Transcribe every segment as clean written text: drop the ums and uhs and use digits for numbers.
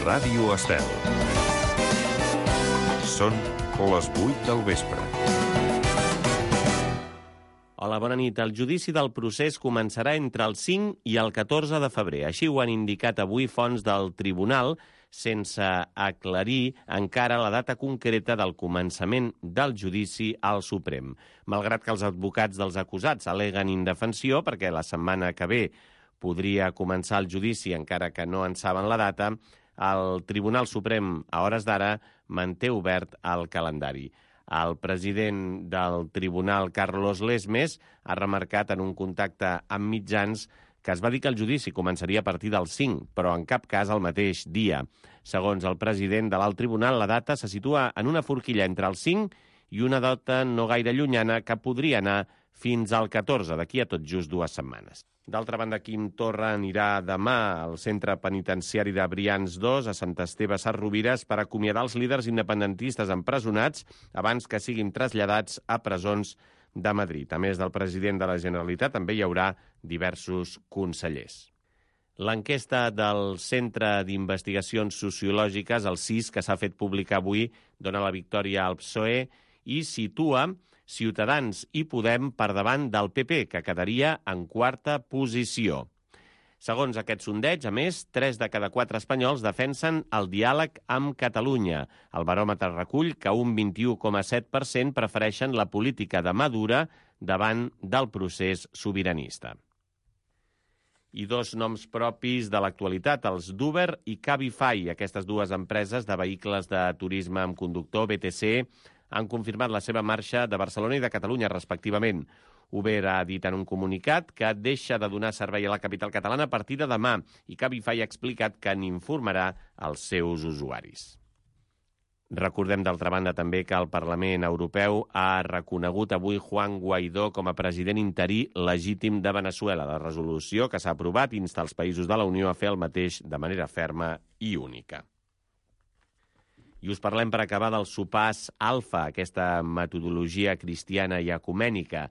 Ràdio Estel. Són les 8 del vespre. Hola, bona nit. El judici del procés començarà entre el 5 i el 14 de febrer. Així ho han indicat avui fonts del tribunal, sense aclarir encara la data concreta del començament del judici al Suprem. Malgrat que els advocats dels acusats al·leguen indefensió, perquè la setmana que ve podria començar el judici, encara que no en saben la data, el Tribunal Suprem, a hores d'ara, manté obert el calendari. El president del tribunal, Carlos Lesmes, ha remarcat en un contacte amb mitjans que es va dir que el judici començaria a partir del 5, però en cap cas el mateix dia. Segons el president de l'alt tribunal, la data se situa en una forquilla entre el 5 i una data no gaire llunyana que podria anar fins al 14, d'aquí a tot just 2 setmanes. D'altra banda, Quim Torra anirà demà al centre penitenciari de Brians 2 a Sant Esteve Sesrovires per acomiadar els líders independentistes empresonats abans que siguin traslladats a presons de Madrid. A més del president de la Generalitat, també hi haurà diversos consellers. L'enquesta del Centre d'Investigacions Sociològiques, el CIS, que s'ha fet pública avui, dona la victòria al PSOE i situa Ciutadans i Podem per davant del PP, que quedaria en quarta posició. Segons aquest sondeig, a més, 3 de cada 4 espanyols defensen el diàleg amb Catalunya. El baròmetre recull que un 21,7% prefereixen la política de mà dura davant del procés sobiranista. I 2 noms propis de l'actualitat, els d'Uber i Cabify. Aquestes 2 empreses de vehicles de turisme amb conductor, BTC, han confirmat la seva marxa de Barcelona i de Catalunya, respectivament. Uber ha dit en un comunicat que deixa de donar servei a la capital catalana a partir de demà i Cabify ha explicat que n'informarà els seus usuaris. Recordem, d'altra banda, també que el Parlament Europeu ha reconegut avui Juan Guaidó com a president interí legítim de Veneçuela. La resolució que s'ha aprovat insta els països de la Unió a fer el mateix de manera ferma i única. I us parlem per acabar del sopars alfa, aquesta metodologia cristiana i ecumènica.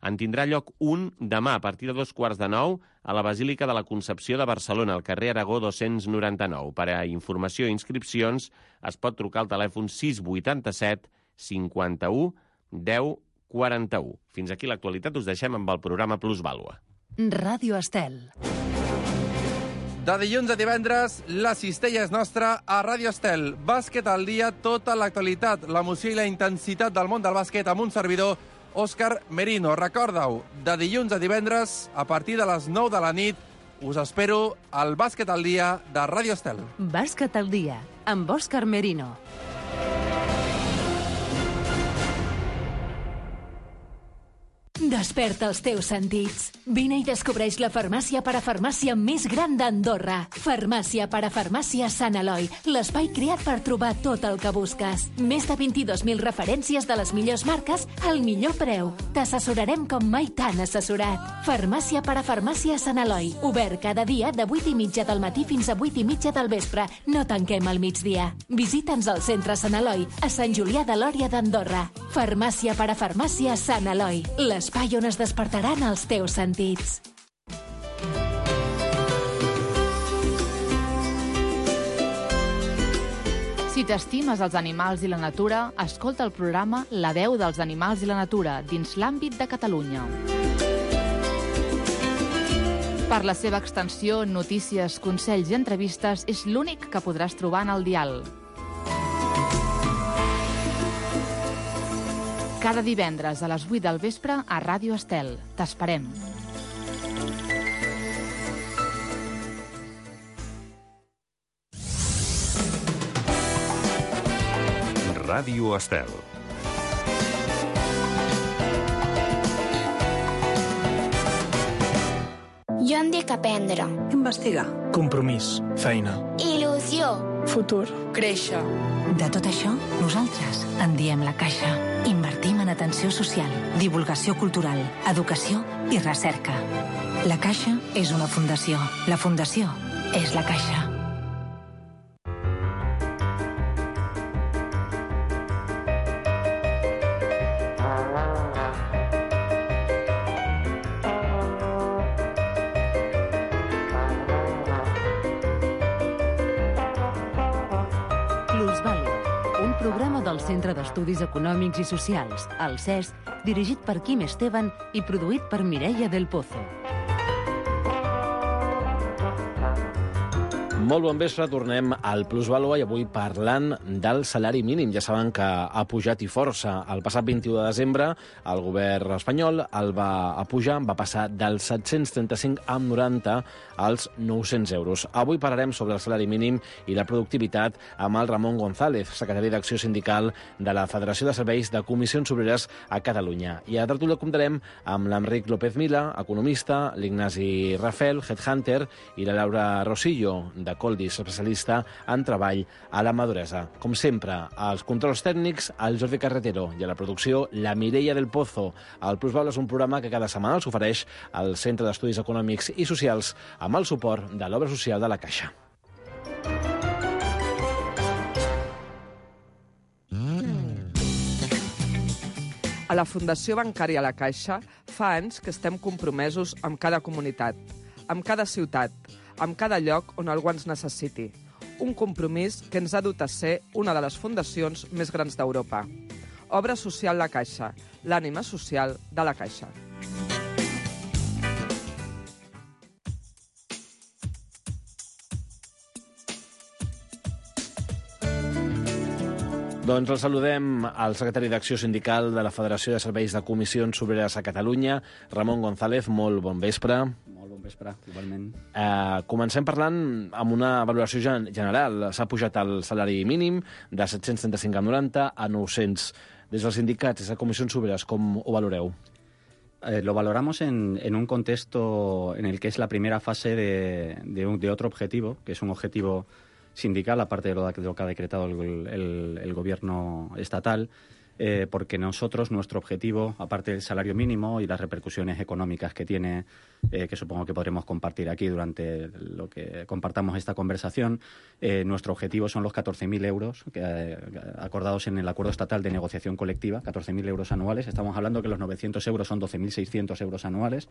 En tindrà lloc un demà a partir de 8:45 a la Basílica de la Concepció de Barcelona, al carrer Aragó 299. Per a informació i inscripcions es pot trucar al telèfon 687 51 10 41. Fins aquí l'actualitat, us deixem amb el programa Plusvàlua. Ràdio Estel. De dilluns a divendres, la cistella és nostra a Ràdio Estel. Bàsquet al dia, tota l'actualitat, l'emoció i la intensitat del món del bàsquet amb un servidor, Òscar Merino. Recorda-ho, de dilluns a divendres, a partir de les 9 de la nit, us espero al Bàsquet al dia de Ràdio Estel. Bàsquet al dia, amb Òscar Merino. Desperta els teus sentits. Vine i descobreix la farmàcia parafarmàcia més gran d'Andorra. Farmàcia parafarmàcia Sant Eloi, l'espai creat per trobar tot el que busques. Més de 22.000 referències de les millors marques al millor preu. T'assessorarem com mai t'han assessorat. Farmàcia parafarmàcia Sant Eloi, obert cada dia de 8:30 del matí fins a 8:30 del vespre. No tanquem al migdia. Visita'ns al centre Sant Eloi, a Sant Julià de Lòria d'Andorra. Farmàcia parafarmàcia Sant Eloi, l'espai on es despertaran els teus sentits. Si t'estimes els animals i la natura, escolta el programa La veu dels animals i la natura dins l'àmbit de Catalunya. Per la seva extensió, notícies, consells i entrevistes, és l'únic que podràs trobar en el dial. Cada divendres a les 8 del vespre a Ràdio Estel. T'esperem. Ràdio Estel. Jo em dic aprendre. Investigar. Compromís. Feina. Il·lusió. Futur. Créixer. De tot això, nosaltres en diem La Caixa. Invertim en atenció social, divulgació cultural, educació i recerca. La Caixa és una fundació. La fundació és La Caixa. programa del Centre d'Estudis Econòmics i Socials, el CES, dirigit per Quim Esteban i produït per Mireia del Pozo. Molt bon vespre, tornem al Plusvàlua i avui parlant del salari mínim. Ja saben que ha pujat i força. El passat 21 de desembre el govern espanyol el va pujar, va passar dels 735,90 als 900 euros. Avui parlarem sobre el salari mínim i la productivitat amb el Ramon González, secretari d'Acció Sindical de la Federació de Serveis de Comissions Obreres a Catalunya. I a la tertúlia comptarem amb l'Enric López Mila, economista, l'Ignasi Rafel, headhunter, i la Laura Rosillo, de Coldis, especialista en treball a la maduresa. Com sempre, als controls tècnics, el Jordi Carretero, i a la producció, la Mireia del Pozo. El Plusvàlua és un programa que cada setmana els ofereix el Centre d'Estudis Econòmics i Socials amb el suport de l'Obra Social de la Caixa. A la Fundació Bancària La Caixa fa anys que estem compromesos amb cada comunitat, amb cada ciutat, amb cada lloc on algú ens necessiti. Un compromís que ens ha dut a ser una de les fundacions més grans d'Europa. Obra Social La Caixa, l'ànima social de la Caixa. Doncs el saludem al secretari d'Acció Sindical de la Federació de Serveis de Comissions Obreres a Catalunya, Ramon González. Molt bon vespre. Molt bon vespre, igualment. Comencem parlant amb una valoració general. S'ha pujat el salari mínim de 735,90 a 900. Des dels sindicats, des de Comissions Obreres, com ho valoreu? Lo valoramos en un contexto en el que es la primera fase de otro objetivo, que es un objetivo sindical, aparte de lo que ha decretado el gobierno estatal, porque nosotros, nuestro objetivo, aparte del salario mínimo y las repercusiones económicas que tiene, que supongo que podremos compartir aquí durante lo que compartamos esta conversación, nuestro objetivo son los 14.000 euros acordados en el acuerdo estatal de negociación colectiva, 14.000 euros anuales. Estamos hablando que los 900 euros son 12.600 euros anuales.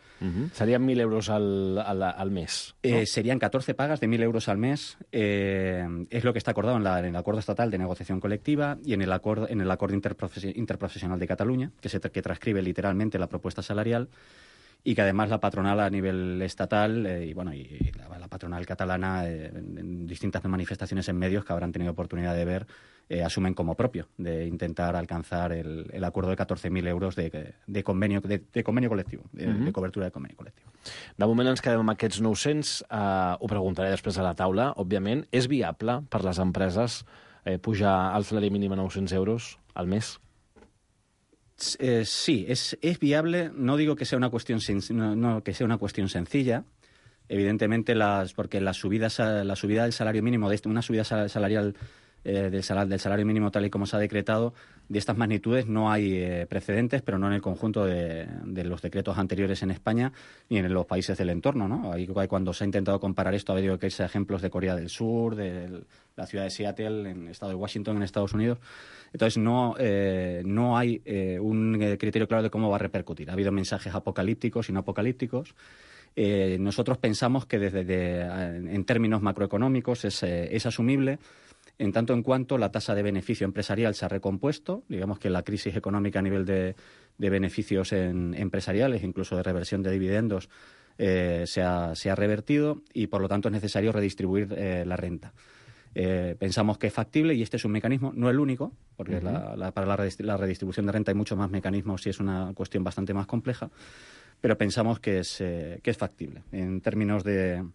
Serían 1.000 euros al mes, ¿no? Serían 14 pagas de 1.000 euros al mes. Es lo que está acordado en el acuerdo estatal de negociación colectiva y en el acuerdo interprofesional de Cataluña, que transcribe literalmente la propuesta salarial, y que además la patronal a nivel estatal y la patronal catalana en distintas manifestaciones en medios que habrán tenido oportunidad de ver, asumen como propio de intentar alcanzar el acuerdo de 14.000 euros de convenio colectivo, de cobertura de convenio colectivo. De moment ens quedem amb aquests 900, ho preguntaré després a la taula, òbviament. És viable per les empreses pujar el salari mínim a 900 euros al mes? Sí, es viable. No digo que sea una cuestión sencilla. Evidentemente, porque la subida del salario mínimo, una subida salarial del salario mínimo tal y como se ha decretado, de estas magnitudes no hay precedentes, pero no en el conjunto de los decretos anteriores en España ni en los países del entorno, ¿no? Ahí, cuando se ha intentado comparar esto, ha habido que irse a ejemplos de Corea del Sur, de la ciudad de Seattle, en el estado de Washington, en Estados Unidos. Entonces, no hay un criterio claro de cómo va a repercutir. Ha habido mensajes apocalípticos y no apocalípticos. Nosotros pensamos que en términos macroeconómicos es asumible, en tanto en cuanto la tasa de beneficio empresarial se ha recompuesto. Digamos que la crisis económica a nivel de beneficios empresariales, incluso de reversión de dividendos, se ha revertido, y por lo tanto es necesario redistribuir la renta. Pensamos que es factible, y este es un mecanismo, no el único, porque para la redistribución de renta hay muchos más mecanismos y es una cuestión bastante más compleja, pero pensamos que es factible en términos de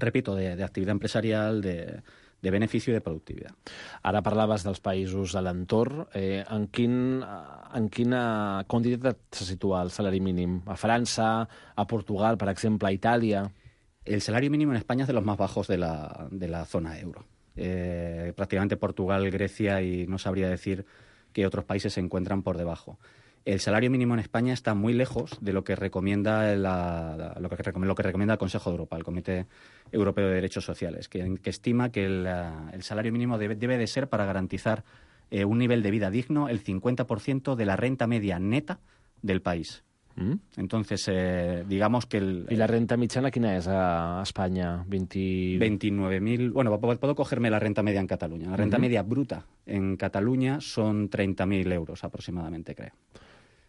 actividad empresarial, de beneficio i de productivitat. Ara parlaves dels països de l'entorn. En quina quantitat se situa el salari mínim? A França, a Portugal, per exemple, a Itàlia? El salario mínimo en España es de los más bajos de la zona euro. Prácticamente Portugal, Grecia, y no sabría decir qué otros países se encuentran por debajo. El salario mínimo en España está muy lejos de lo que recomienda lo que recomienda el Consejo de Europa, el Comité Europeo de Derechos Sociales, que estima que el salario mínimo debe de ser, para garantizar un nivel de vida digno, el 50% de la renta media neta del país. Entonces, digamos que... ¿Y la renta mitjana quina és a Espanya? 29.000... Bueno, puedo cogerme la renta media en Cataluña. La renta media bruta en Cataluña son 30.000 euros aproximadamente, creo.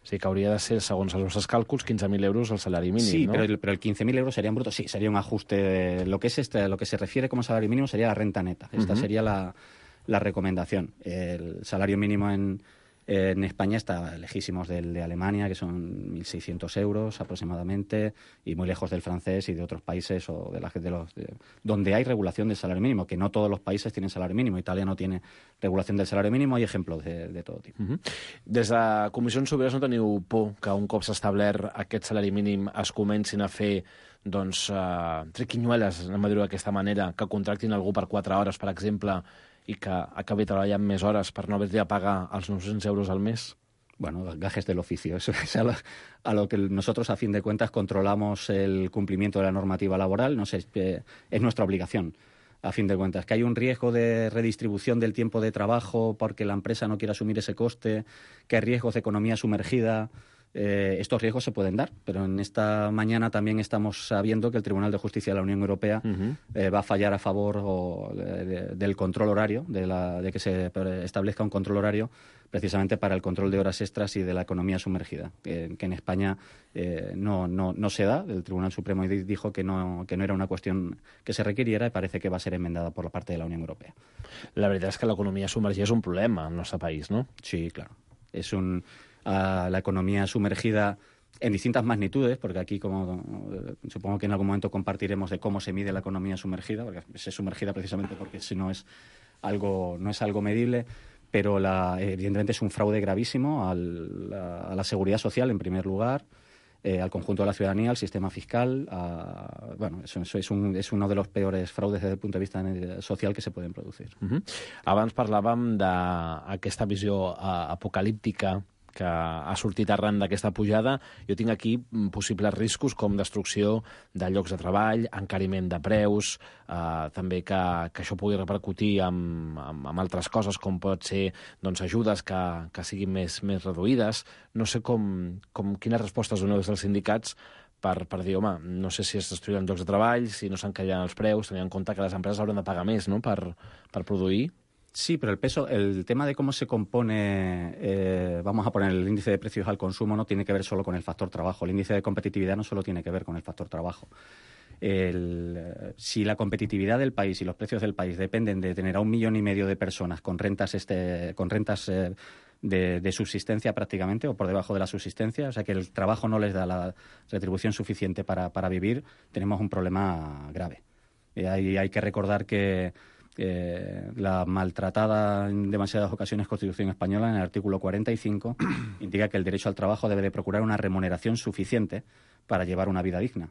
Sí, que hauria de ser, segons els nostres càlculs, 15.000 euros el salari mínim, sí, ¿no? Sí, pero el 15.000 euros serían brutos. Sí, sería un ajuste. Lo que se refiere como salario mínimo sería la renta neta. Esta sería la recomendación. El salario mínimo en España está lejísimos del de Alemania, que son 1.600 euros aproximadamente, y muy lejos del francés y de otros países o donde hay regulación del salario mínimo, que no todos los países tienen salario mínimo. Italia no tiene regulación del salario mínimo, hay ejemplos de todo tipo. Des de Comissions Obreres no teniu por que un cop s'ha establert aquest salari mínim es comencin a fer triquinyueles, anem a dir-ho d'aquesta manera, que contractin algú per 4 hores, per exemple, i que acabi treballant més hores per no haver de pagar els 900 euros al mes? Bueno, gajes del oficio. Eso es a lo que nosotros, a fin de cuentas, controlamos el cumplimiento de la normativa laboral. No sé, es nuestra obligación, a fin de cuentas. Que hay un riesgo de redistribución del tiempo de trabajo porque la empresa no quiere asumir ese coste, que hay riesgos de economía sumergida. Estos riesgos se pueden dar, pero en esta mañana también estamos sabiendo que el Tribunal de Justicia de la Unión Europea va a fallar a favor del control horario, de que se establezca un control horario precisamente para el control de horas extras y de la economía sumergida, que en España no se da. El Tribunal Supremo dijo que no era una cuestión que se requiriera y parece que va a ser enmendada por la parte de la Unión Europea. La verdad es que l'economia submergida és un problema en el nostre país, ¿no? Sí, claro. Es la economía sumergida en distintas magnitudes, porque aquí supongo que en algún momento compartiremos de cómo se mide la economía sumergida, porque es sumergida precisamente porque si no es algo medible, pero evidentemente es un fraude gravísimo a la seguridad social en primer lugar, al conjunto de la ciudadanía, al sistema fiscal. Eso es uno de los peores fraudes desde el punto de vista social que se pueden producir. Abans parlàvem d'aquesta visió apocalíptica que ha sortit arran d'aquesta pujada. Jo tinc aquí possibles riscos com destrucció de llocs de treball, encariment de preus, també que això pugui repercutir amb altres coses, com pot ser ajudes que siguin més reduïdes. No sé quines respostes doneu des dels sindicats per dir, home, no sé si es destruiran llocs de treball, si no s'encariran els preus, tenint en compte que les empreses hauran de pagar més, no?, per produir. Sí, pero el tema de cómo se compone, vamos a poner el índice de precios al consumo, no tiene que ver solo con el factor trabajo. El índice de competitividad no solo tiene que ver con el factor trabajo. Si la competitividad del país y los precios del país dependen de tener a 1,5 millones de personas con rentas de subsistencia prácticamente o por debajo de la subsistencia, o sea que el trabajo no les da la retribución suficiente para vivir, tenemos un problema grave. Hay que recordar que la maltratada en demasiadas ocasiones Constitución española, en el artículo 45, indica que el derecho al trabajo debe de procurar una remuneración suficiente para llevar una vida digna.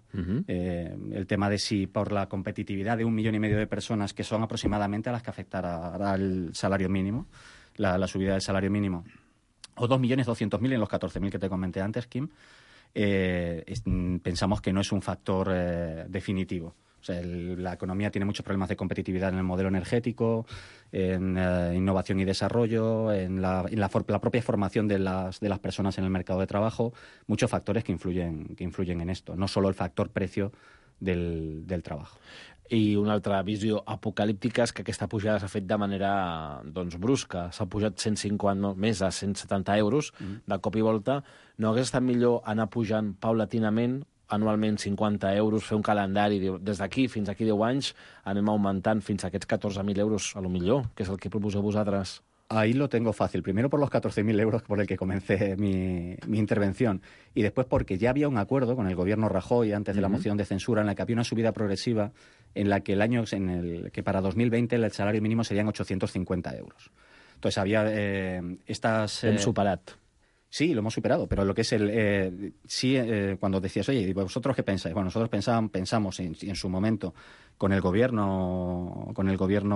El tema de si por la competitividad de 1,5 millones de personas, que son aproximadamente a las que afectará el salario mínimo, la subida del salario mínimo, o 2.200.000 en los 14.000 que te comenté antes, Kim, pensamos que no es un factor definitivo. O sea, la economía tiene muchos problemas de competitividad en el modelo energético, en innovación y desarrollo, en la propia formación de las personas en el mercado de trabajo, muchos factores que influyen en esto, no solo el factor precio del trabajo. I una altra visió apocalíptica és que aquesta pujada s'ha fet de manera brusca. S'ha pujat 150, més de 170 euros de cop i volta. No hagués estat millor anar pujant paulatinament, anualment 50 euros, fer un calendari, des d'aquí fins aquí 10 anys anem augmentant fins a aquests 14.000 euros, a lo millor, que és el que proposeu vosaltres? Ahí lo tengo fácil. Primero por los 14.000 euros por el que comencé mi intervención. Y después porque ya había un acuerdo con el gobierno Rajoy antes de la moción de censura en la que había una subida progresiva en la que que para 2020 el salario mínimo serían 850 euros. Entonces había estas... Hem superat. Sí, lo hemos superado, pero lo que es cuando decías, oye, ¿vosotros qué pensáis? Bueno, nosotros pensamos en su momento con el gobierno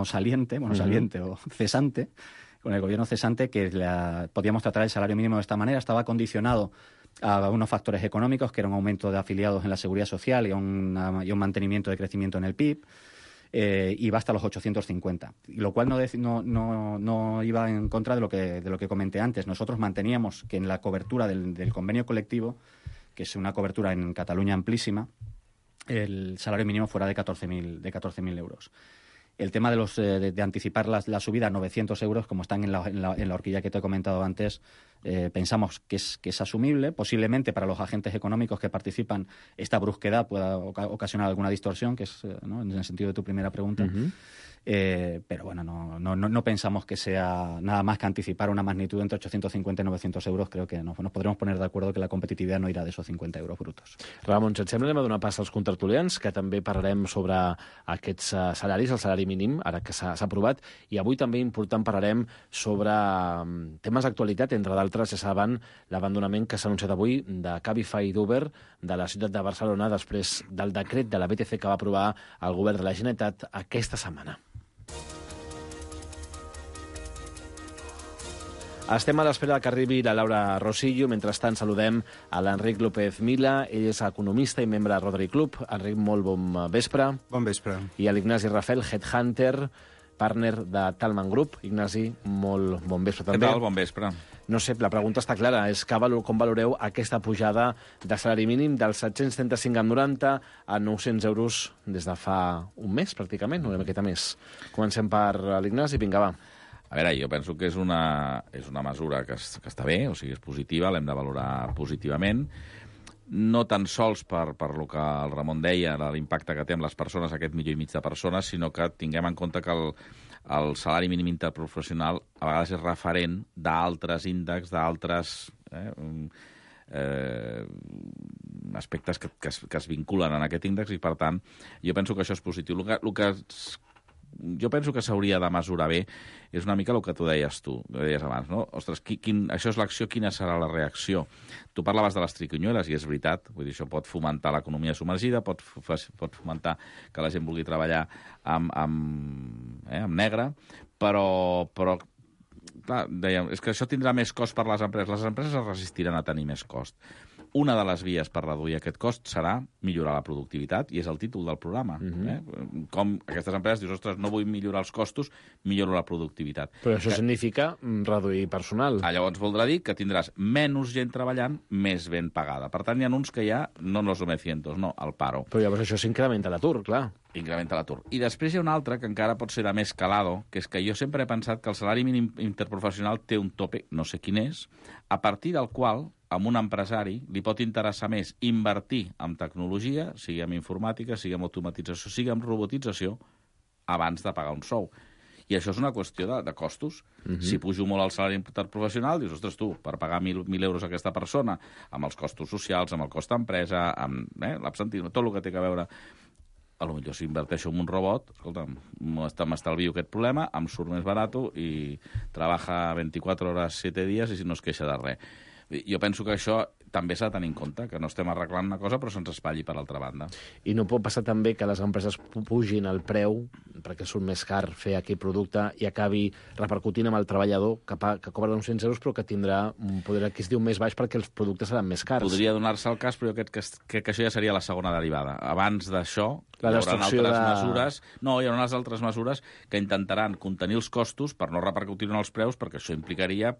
saliente, saliente o cesante, con el gobierno cesante, que podíamos tratar el salario mínimo de esta manera. Estaba condicionado a unos factores económicos, que era un aumento de afiliados en la seguridad social y un mantenimiento de crecimiento en el PIB. Y va hasta los 850, lo cual no iba en contra de lo que comenté antes. Nosotros manteníamos que en la cobertura del convenio colectivo que es una cobertura en Cataluña amplísima, el salario mínimo fuera de 14.000 euros. El tema de anticipar la subida a 900 euros, como están en la horquilla que te he comentado antes, pensamos que es asumible. Posiblemente para los agentes económicos que participan esta brusquedad pueda ocasionar alguna distorsión, que es ¿no? en el sentido de tu primera pregunta. Uh-huh. Pero bueno, no pensamos que sea nada más que anticipar una magnitud entre 850 i 900 euros. Creo que nos podremos poner de acuerdo que la competitivitat no irà d'esos 50 euros brutos. Ramon, si et sembla, anem a donar pas als contratertulians, que també parlarem sobre aquests salaris, el salari mínim, ara que s'ha aprovat, i avui també important parlarem sobre temes d'actualitat, entre d'altres, ja saben, l'abandonament que s'ha anunciat avui de Cabify i d'Uber de la ciutat de Barcelona després del decret de la BTC que va aprovar el govern de la Generalitat aquesta setmana. Estem a l'espera que arribi la Laura Rosillo. Mentrestant saludem a l'Enric López Mila. Ell és economista i membre de Rotary Club. Enric, molt bon vespre. Bon vespre. I a l'Ignasi Rafel, headhunter, partner de Talman Group. Ignasi, molt bon vespre també. Què tal? Bon vespre. No sé, la pregunta està clara. És com valoreu aquesta pujada de salari mínim dels 735,90 a 900 euros des de fa un mes, pràcticament, una miqueta més. Comencem per l'Ignasi. Vinga, va. A veure, jo penso que és una mesura que està bé, o sigui, és positiva, l'hem de valorar positivament, no tan sols per lo que el Ramon deia, l'impacte que té amb les persones, aquest 1,5 milió de persones, sinó que tinguem en compte que el salari mínim interprofessional a vegades és referent d'altres índexs, d'altres aspectes que es vinculen en aquest índex, i per tant jo penso que això és positiu. El que jo penso que s'hauria de mesurar bé és una mica el que tu deies abans, no? Ostres, això és l'acció, quina serà la reacció? Tu parlaves de les triquinyueles, i és veritat, vull dir, això pot fomentar l'economia submergida, pot fomentar que la gent vulgui treballar amb negre, però clar, dèiem, és que això tindrà més cost per les empreses es resistiran a tenir més cost. Una de les vies per reduir aquest cost serà millorar la productivitat, i és el títol del programa. Com aquestes empreses dius, ostres, no vull millorar els costos, milloro la productivitat. Però això significa reduir personal. Llavors voldrà dir que tindràs menys gent treballant, més ben pagada. Per tant, hi ha uns que ja no los 900, no, el paro. Però llavors això s'incrementa l'atur, clar. Incrementa l'atur. I després hi ha un altre que encara pot ser de més calado, que és que jo sempre he pensat que el salari mínim interprofessional té un tope, no sé quin és, a partir del qual a un empresari li pot interessar més invertir en tecnologia, sigui en informàtica, sigui en automatització, sigui en robotització, abans de pagar un sou. I això és una qüestió de costos. Si pujo molt el salari interprofessional, dius, ostres, tu, per pagar 1.000 euros a aquesta persona, amb els costos socials, amb el cost d'empresa, amb l'absentisme, tot el que té a veure, a lo millor si inverteixo en un robot, escolta, m'estalvio aquest problema, em surt més barat i trebaja 24 hores 7 dies i no es queixa de res. Jo penso que això també s'ha de tenir en compte, que no estem arreglant una cosa però se'ns espatlli per l'altra banda. I no pot passar també que les empreses pugin el preu perquè surt més car fer aquell producte i acabi repercutint amb el treballador que cobra uns 100 euros però que tindrà un poder adquisitiu més baix perquè els productes seran més cars. Podria donar-se el cas, però jo crec que això ja seria la segona derivada. Abans d'això hi haurà unes altres mesures que intentaran contenir els costos per no repercutir en els preus, perquè això implicaria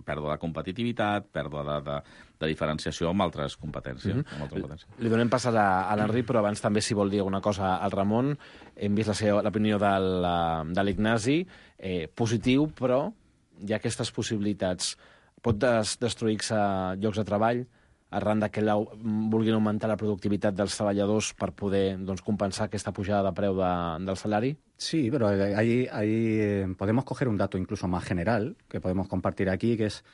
pèrdua de competitivitat, pèrdua de diferenciació amb altres competències. Li donem pas a l'Enric, però abans també, si vol dir alguna cosa al Ramon, hem vist l'opinió de l'Ignasi, positiu, però hi ha aquestes possibilitats. Pot destruir-se llocs de treball arran que vulguin augmentar la productivitat dels treballadors per poder compensar aquesta pujada de preu del salari? Sí, pero ahí podemos coger un dato incluso más general que podemos compartir aquí, que es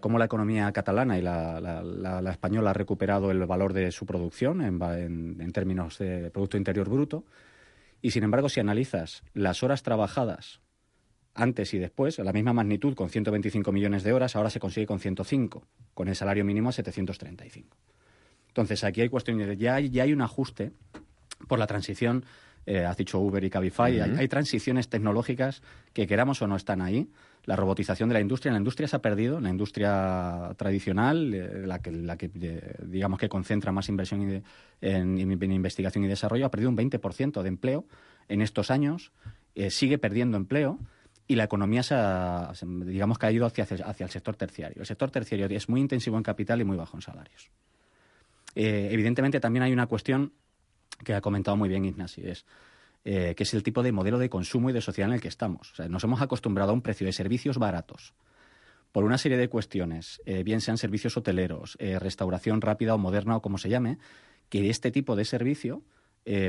cómo la economía catalana y la española ha recuperado el valor de su producción en términos de Producto Interior Bruto. Y, sin embargo, si analizas las horas trabajadas antes y después, a la misma magnitud, con 125 millones de horas, ahora se consigue con 105, con el salario mínimo a 735. Entonces, aquí hay cuestiones de... Ya hay un ajuste por la transición, has dicho Uber y Cabify, hay transiciones tecnológicas que, queramos o no, están ahí. La robotización de la industria se ha perdido, la industria tradicional, la que digamos que concentra más inversión en investigación y desarrollo, ha perdido un 20% de empleo en estos años, sigue perdiendo empleo, y la economía digamos que ha ido hacia el sector terciario. El sector terciario es muy intensivo en capital y muy bajo en salarios. Evidentemente también hay una cuestión que ha comentado muy bien Ignasi, que es el tipo de modelo de consumo y de sociedad en el que estamos. O sea, nos hemos acostumbrado a un precio de servicios baratos por una serie de cuestiones, bien sean servicios hoteleros, restauración rápida o moderna o como se llame, que este tipo de servicio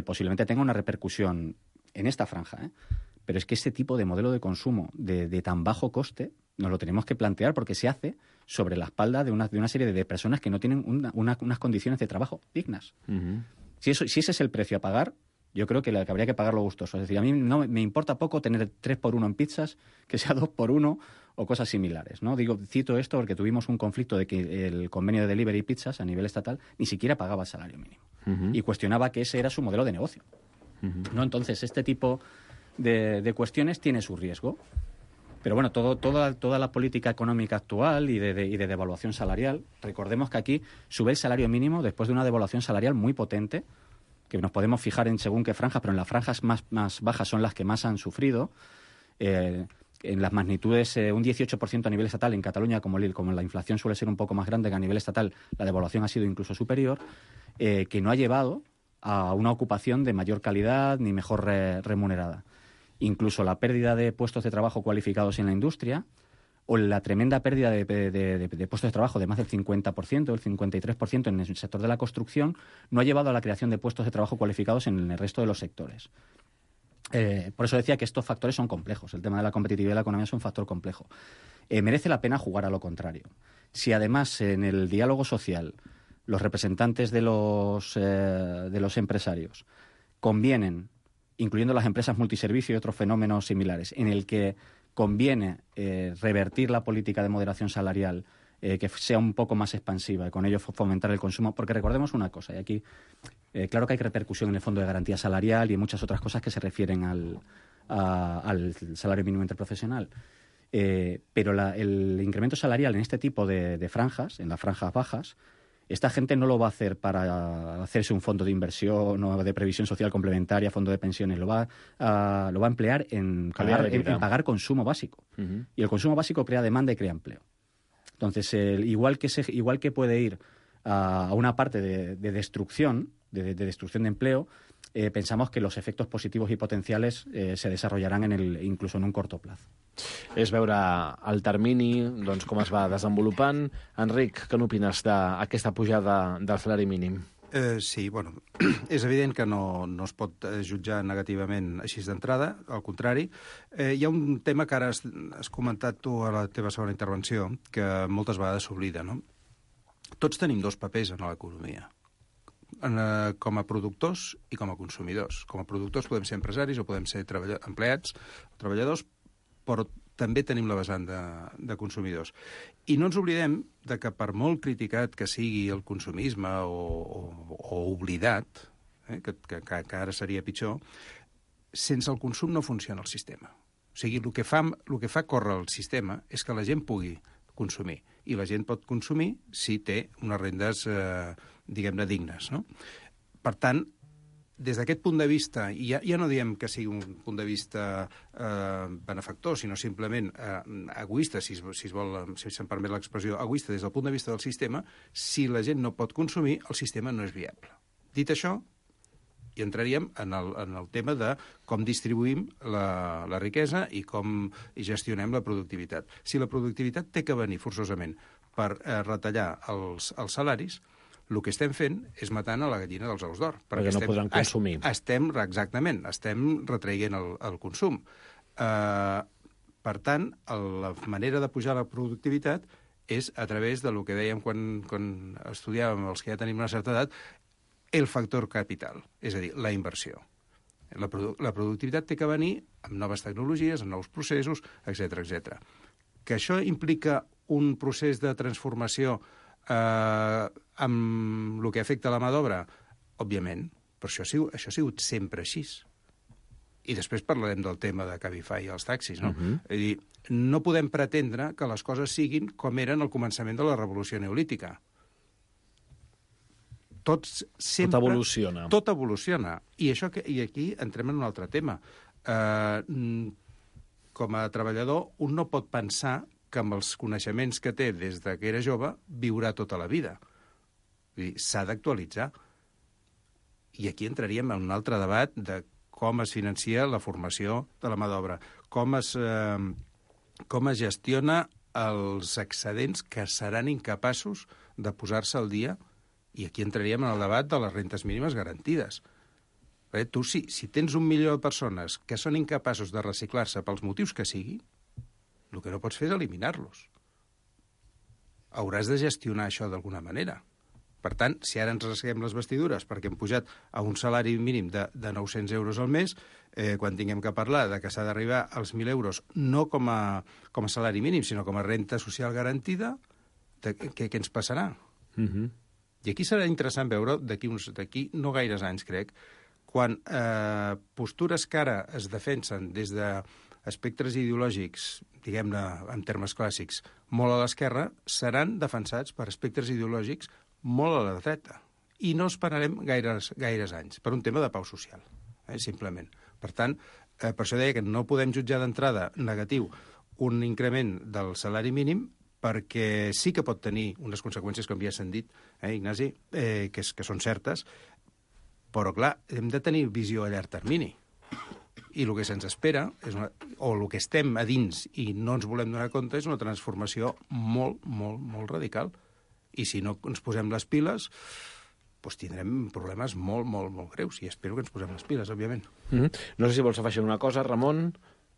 posiblemente tenga una repercusión en esta franja. Pero es que este tipo de modelo de consumo de tan bajo coste nos lo tenemos que plantear porque se hace sobre la espalda de una serie de personas que no tienen unas condiciones de trabajo dignas. Uh-huh. Si ese es el precio a pagar, yo creo que habría que pagarlo gustoso. Es decir, a mí no me importa poco tener 3x1 en pizzas, que sea 2x1 o cosas similares, ¿no? Cito esto porque tuvimos un conflicto de que el convenio de delivery pizzas a nivel estatal ni siquiera pagaba el salario mínimo. Uh-huh. Y cuestionaba que ese era su modelo de negocio. Uh-huh. ¿No? Entonces, este tipo de cuestiones tiene su riesgo. Pero bueno, toda la política económica actual y de devaluación salarial, recordemos que aquí sube el salario mínimo después de una devaluación salarial muy potente, que nos podemos fijar en según qué franjas, pero en las franjas más bajas son las que más han sufrido. En las magnitudes, un 18% a nivel estatal, en Cataluña, como la inflación suele ser un poco más grande que a nivel estatal, la devaluación ha sido incluso superior, que no ha llevado a una ocupación de mayor calidad ni mejor remunerada. Incluso la pérdida de puestos de trabajo cualificados en la industria o la tremenda pérdida de puestos de trabajo de más del 50%, el 53% en el sector de la construcción, no ha llevado a la creación de puestos de trabajo cualificados en el resto de los sectores. Por eso decía que estos factores son complejos. El tema de la competitividad de la economía es un factor complejo. Merece la pena jugar a lo contrario. Si además en el diálogo social los representantes de los empresarios convienen, incluyendo las empresas multiservicio y otros fenómenos similares, en el que conviene revertir la política de moderación salarial, que sea un poco más expansiva y con ello fomentar el consumo, porque recordemos una cosa, y aquí claro que hay repercusión en el Fondo de Garantía Salarial y en muchas otras cosas que se refieren al salario mínimo interprofesional, pero el incremento salarial en este tipo de franjas, en las franjas bajas, esta gente no lo va a hacer para hacerse un fondo de inversión o de previsión social complementaria, fondo de pensiones. Lo va a emplear en pagar consumo básico. Uh-huh. Y el consumo básico crea demanda y crea empleo. Entonces, igual que puede ir a una parte de destrucción, de destrucción de empleo, pensamos que los efectos positivos y potenciales se desarrollarán incluso en un corto plazo. És veure el termini, doncs, com es va desenvolupant. Enric, què n'opines d'aquesta pujada del salari mínim? Sí, bueno, és evident que no es pot jutjar negativament així d'entrada, al contrari. Hi ha un tema que ara has comentat tu a la teva segona intervenció, que moltes vegades s'oblida, no? Tots tenim dos papers en l'economia, com a productors i com a consumidors. Com a productors podem ser empresaris o podem ser empleats o treballadors, però també tenim la vessant de consumidors. I no ens oblidem de que per molt criticat que sigui el consumisme o oblidat, que ara seria pitjor, sense el consum no funciona el sistema. O sigui, el que fa córrer el sistema és que la gent pugui consumir. I la gent pot consumir si té unes rendes, diguem-ne, dignes, no? Per tant, des d'aquest punt de vista, i ja no diem que sigui un punt de vista benefactor, sinó simplement egoista, si se'm permet l'expressió, egoista des del punt de vista del sistema, si la gent no pot consumir, el sistema no és viable. Dit això, i entraríem en el tema de com distribuïm la riquesa i com gestionem la productivitat. Si la productivitat té que venir forçosament per retallar els salaris, el que estem fent és matant a la gallina dels ous d'or. Perquè no podran consumir. Exactament, estem retraient el consum. Per tant, la manera de pujar la productivitat és a través del que dèiem quan estudiàvem els que ja tenim una certa edat, el factor capital, és a dir, la inversió. La productivitat té que venir amb noves tecnologies, amb nous processos, etc. Que això implica un procés de transformació amb el que afecta la mà d'obra? Òbviament, però això ha sigut sempre així. I després parlarem del tema de Cabify i els taxis, no? Uh-huh. És a dir, no podem pretendre que les coses siguin com eren al començament de la revolució neolítica. Tot evoluciona. Tot evoluciona. I aquí entrem en un altre tema. Com a treballador, un no pot pensar que amb els coneixements que té des que era jove viurà tota la vida. S'ha d'actualitzar. I aquí entraríem en un altre debat de com es financia la formació de la mà d'obra, com es gestiona els excedents que seran incapaços de posar-se al dia, i aquí entraríem en el debat de les rentes mínimes garantides. Tu, si tens 1 milió de persones que són incapaços de reciclar-se pels motius que sigui, el que no pots fer és eliminar-los. Hauràs de gestionar això d'alguna manera. Per tant, si ara ens rasguem les vestidures perquè hem pujat a un salari mínim de 900 euros al mes, quan tinguem que parlar de que s'ha d'arribar als 1.000 euros no com a salari mínim, sinó com a renta social garantida, què ens passarà? I aquí serà interessant veure, d'aquí no gaires anys, crec, quan postures que ara es defensen des d'aspectes ideològics, diguem-ne en termes clàssics, molt a l'esquerra, seran defensats per aspectes ideològics molt a la dreta. I no esperarem gaires anys, per un tema de pau social, simplement. Per tant, per això deia que no podem jutjar d'entrada negatiu un increment del salari mínim, perquè sí que pot tenir unes conseqüències, com ja s'han dit, Ignasi, que són certes, però, clar, hem de tenir visió a llarg termini. I el que se'ns espera, o el que estem a dins i no ens volem donar compte, és una transformació molt, molt, molt radical. I si no ens posem les piles, doncs tindrem problemes molt, molt, molt greus. I espero que ens posem les piles, òbviament. No sé si vols afegir una cosa, Ramon.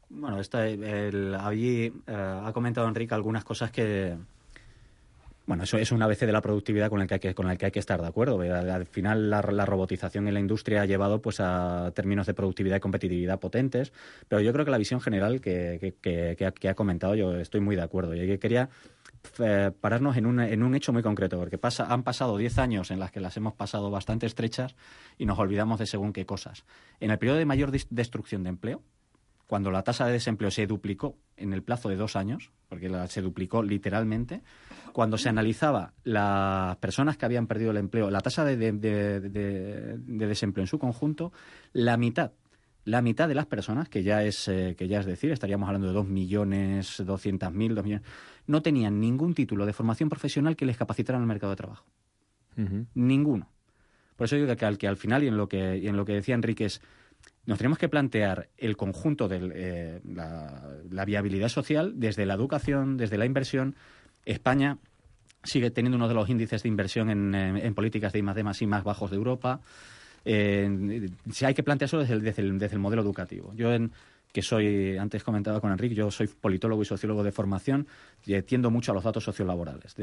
Bueno, allí ha comentado Enrique algunas cosas que... Bueno, eso es un ABC de la productividad con el que hay que estar de acuerdo. Al final la robotización en la industria ha llevado pues a términos de productividad y competitividad potentes, pero yo creo que la visión general que ha comentado, yo estoy muy de acuerdo. Y quería pararnos en un hecho muy concreto, porque han pasado 10 años en las que las hemos pasado bastante estrechas y nos olvidamos de según qué cosas. En el periodo de mayor destrucción de empleo, cuando la tasa de desempleo se duplicó en el plazo de 2 años, porque se duplicó literalmente, cuando se analizaba las personas que habían perdido el empleo, la tasa de desempleo en su conjunto, la mitad de las personas, que ya es decir, estaríamos hablando de 2.200.000, 2 millones, no tenían ningún título de formación profesional que les capacitara en el mercado de trabajo. Ninguno. Por eso digo que al final, y en lo que decía Enrique, es nos tenemos que plantear el conjunto de la viabilidad social desde la educación, desde la inversión. España sigue teniendo uno de los índices de inversión en políticas de I+D+I más bajos de Europa. Si hay que plantearlo desde el modelo educativo. Yo, que soy, antes comentaba con Enrique, yo soy politólogo y sociólogo de formación, y tiendo mucho a los datos sociolaborales,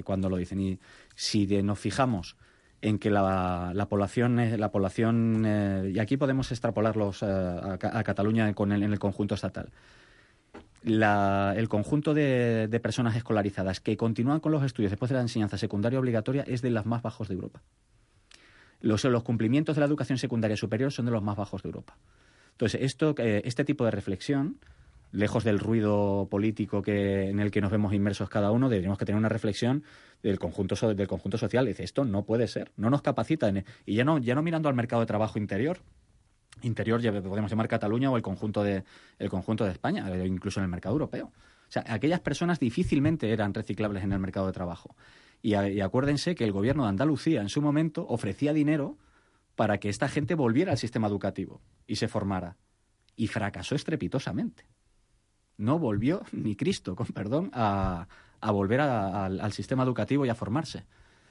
cuando lo dicen. Y si nos fijamos en que la población y aquí podemos extrapolarlos a Cataluña en el conjunto estatal. El conjunto de personas escolarizadas que continúan con los estudios después de la enseñanza secundaria obligatoria es de los más bajos de Europa. Los cumplimientos de la educación secundaria superior son de los más bajos de Europa. Entonces, este tipo de reflexión, lejos del ruido político en el que nos vemos inmersos cada uno, deberíamos que tener una reflexión del conjunto social. Dice, esto no puede ser, no nos capacita. Y ya no mirando al mercado de trabajo interior podemos llamar Cataluña o el conjunto de España, incluso en el mercado europeo. O sea, aquellas personas difícilmente eran reciclables en el mercado de trabajo. Y acuérdense que el gobierno de Andalucía en su momento ofrecía dinero para que esta gente volviera al sistema educativo y se formara. Y fracasó estrepitosamente. No volvió ni Cristo, con perdón, a volver al sistema educativo y a formarse.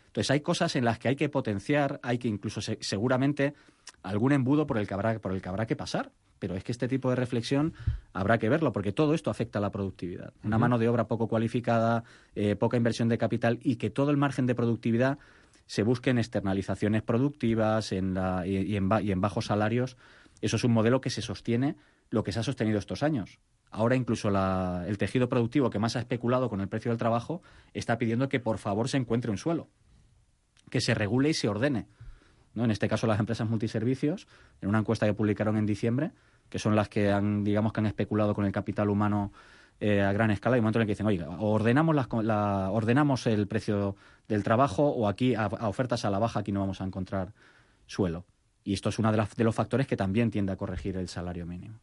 Entonces hay cosas en las que hay que potenciar, hay que incluso seguramente algún embudo por el que habrá que pasar. Pero es que este tipo de reflexión habrá que verlo, porque todo esto afecta a la productividad. Una mano de obra poco cualificada, poca inversión de capital, y que todo el margen de productividad se busque en externalizaciones productivas y en bajos salarios. Eso es un modelo que se sostiene, lo que se ha sostenido estos años. Ahora incluso el tejido productivo que más ha especulado con el precio del trabajo está pidiendo que por favor se encuentre un suelo, que se regule y se ordene, ¿no? En este caso las empresas multiservicios, en una encuesta que publicaron en diciembre, que son las que han especulado con el capital humano a gran escala, hay un momento en el que dicen, oiga, ordenamos el precio del trabajo, o aquí a ofertas a la baja aquí no vamos a encontrar suelo. Y esto es uno de los factores que también tiende a corregir el salario mínimo.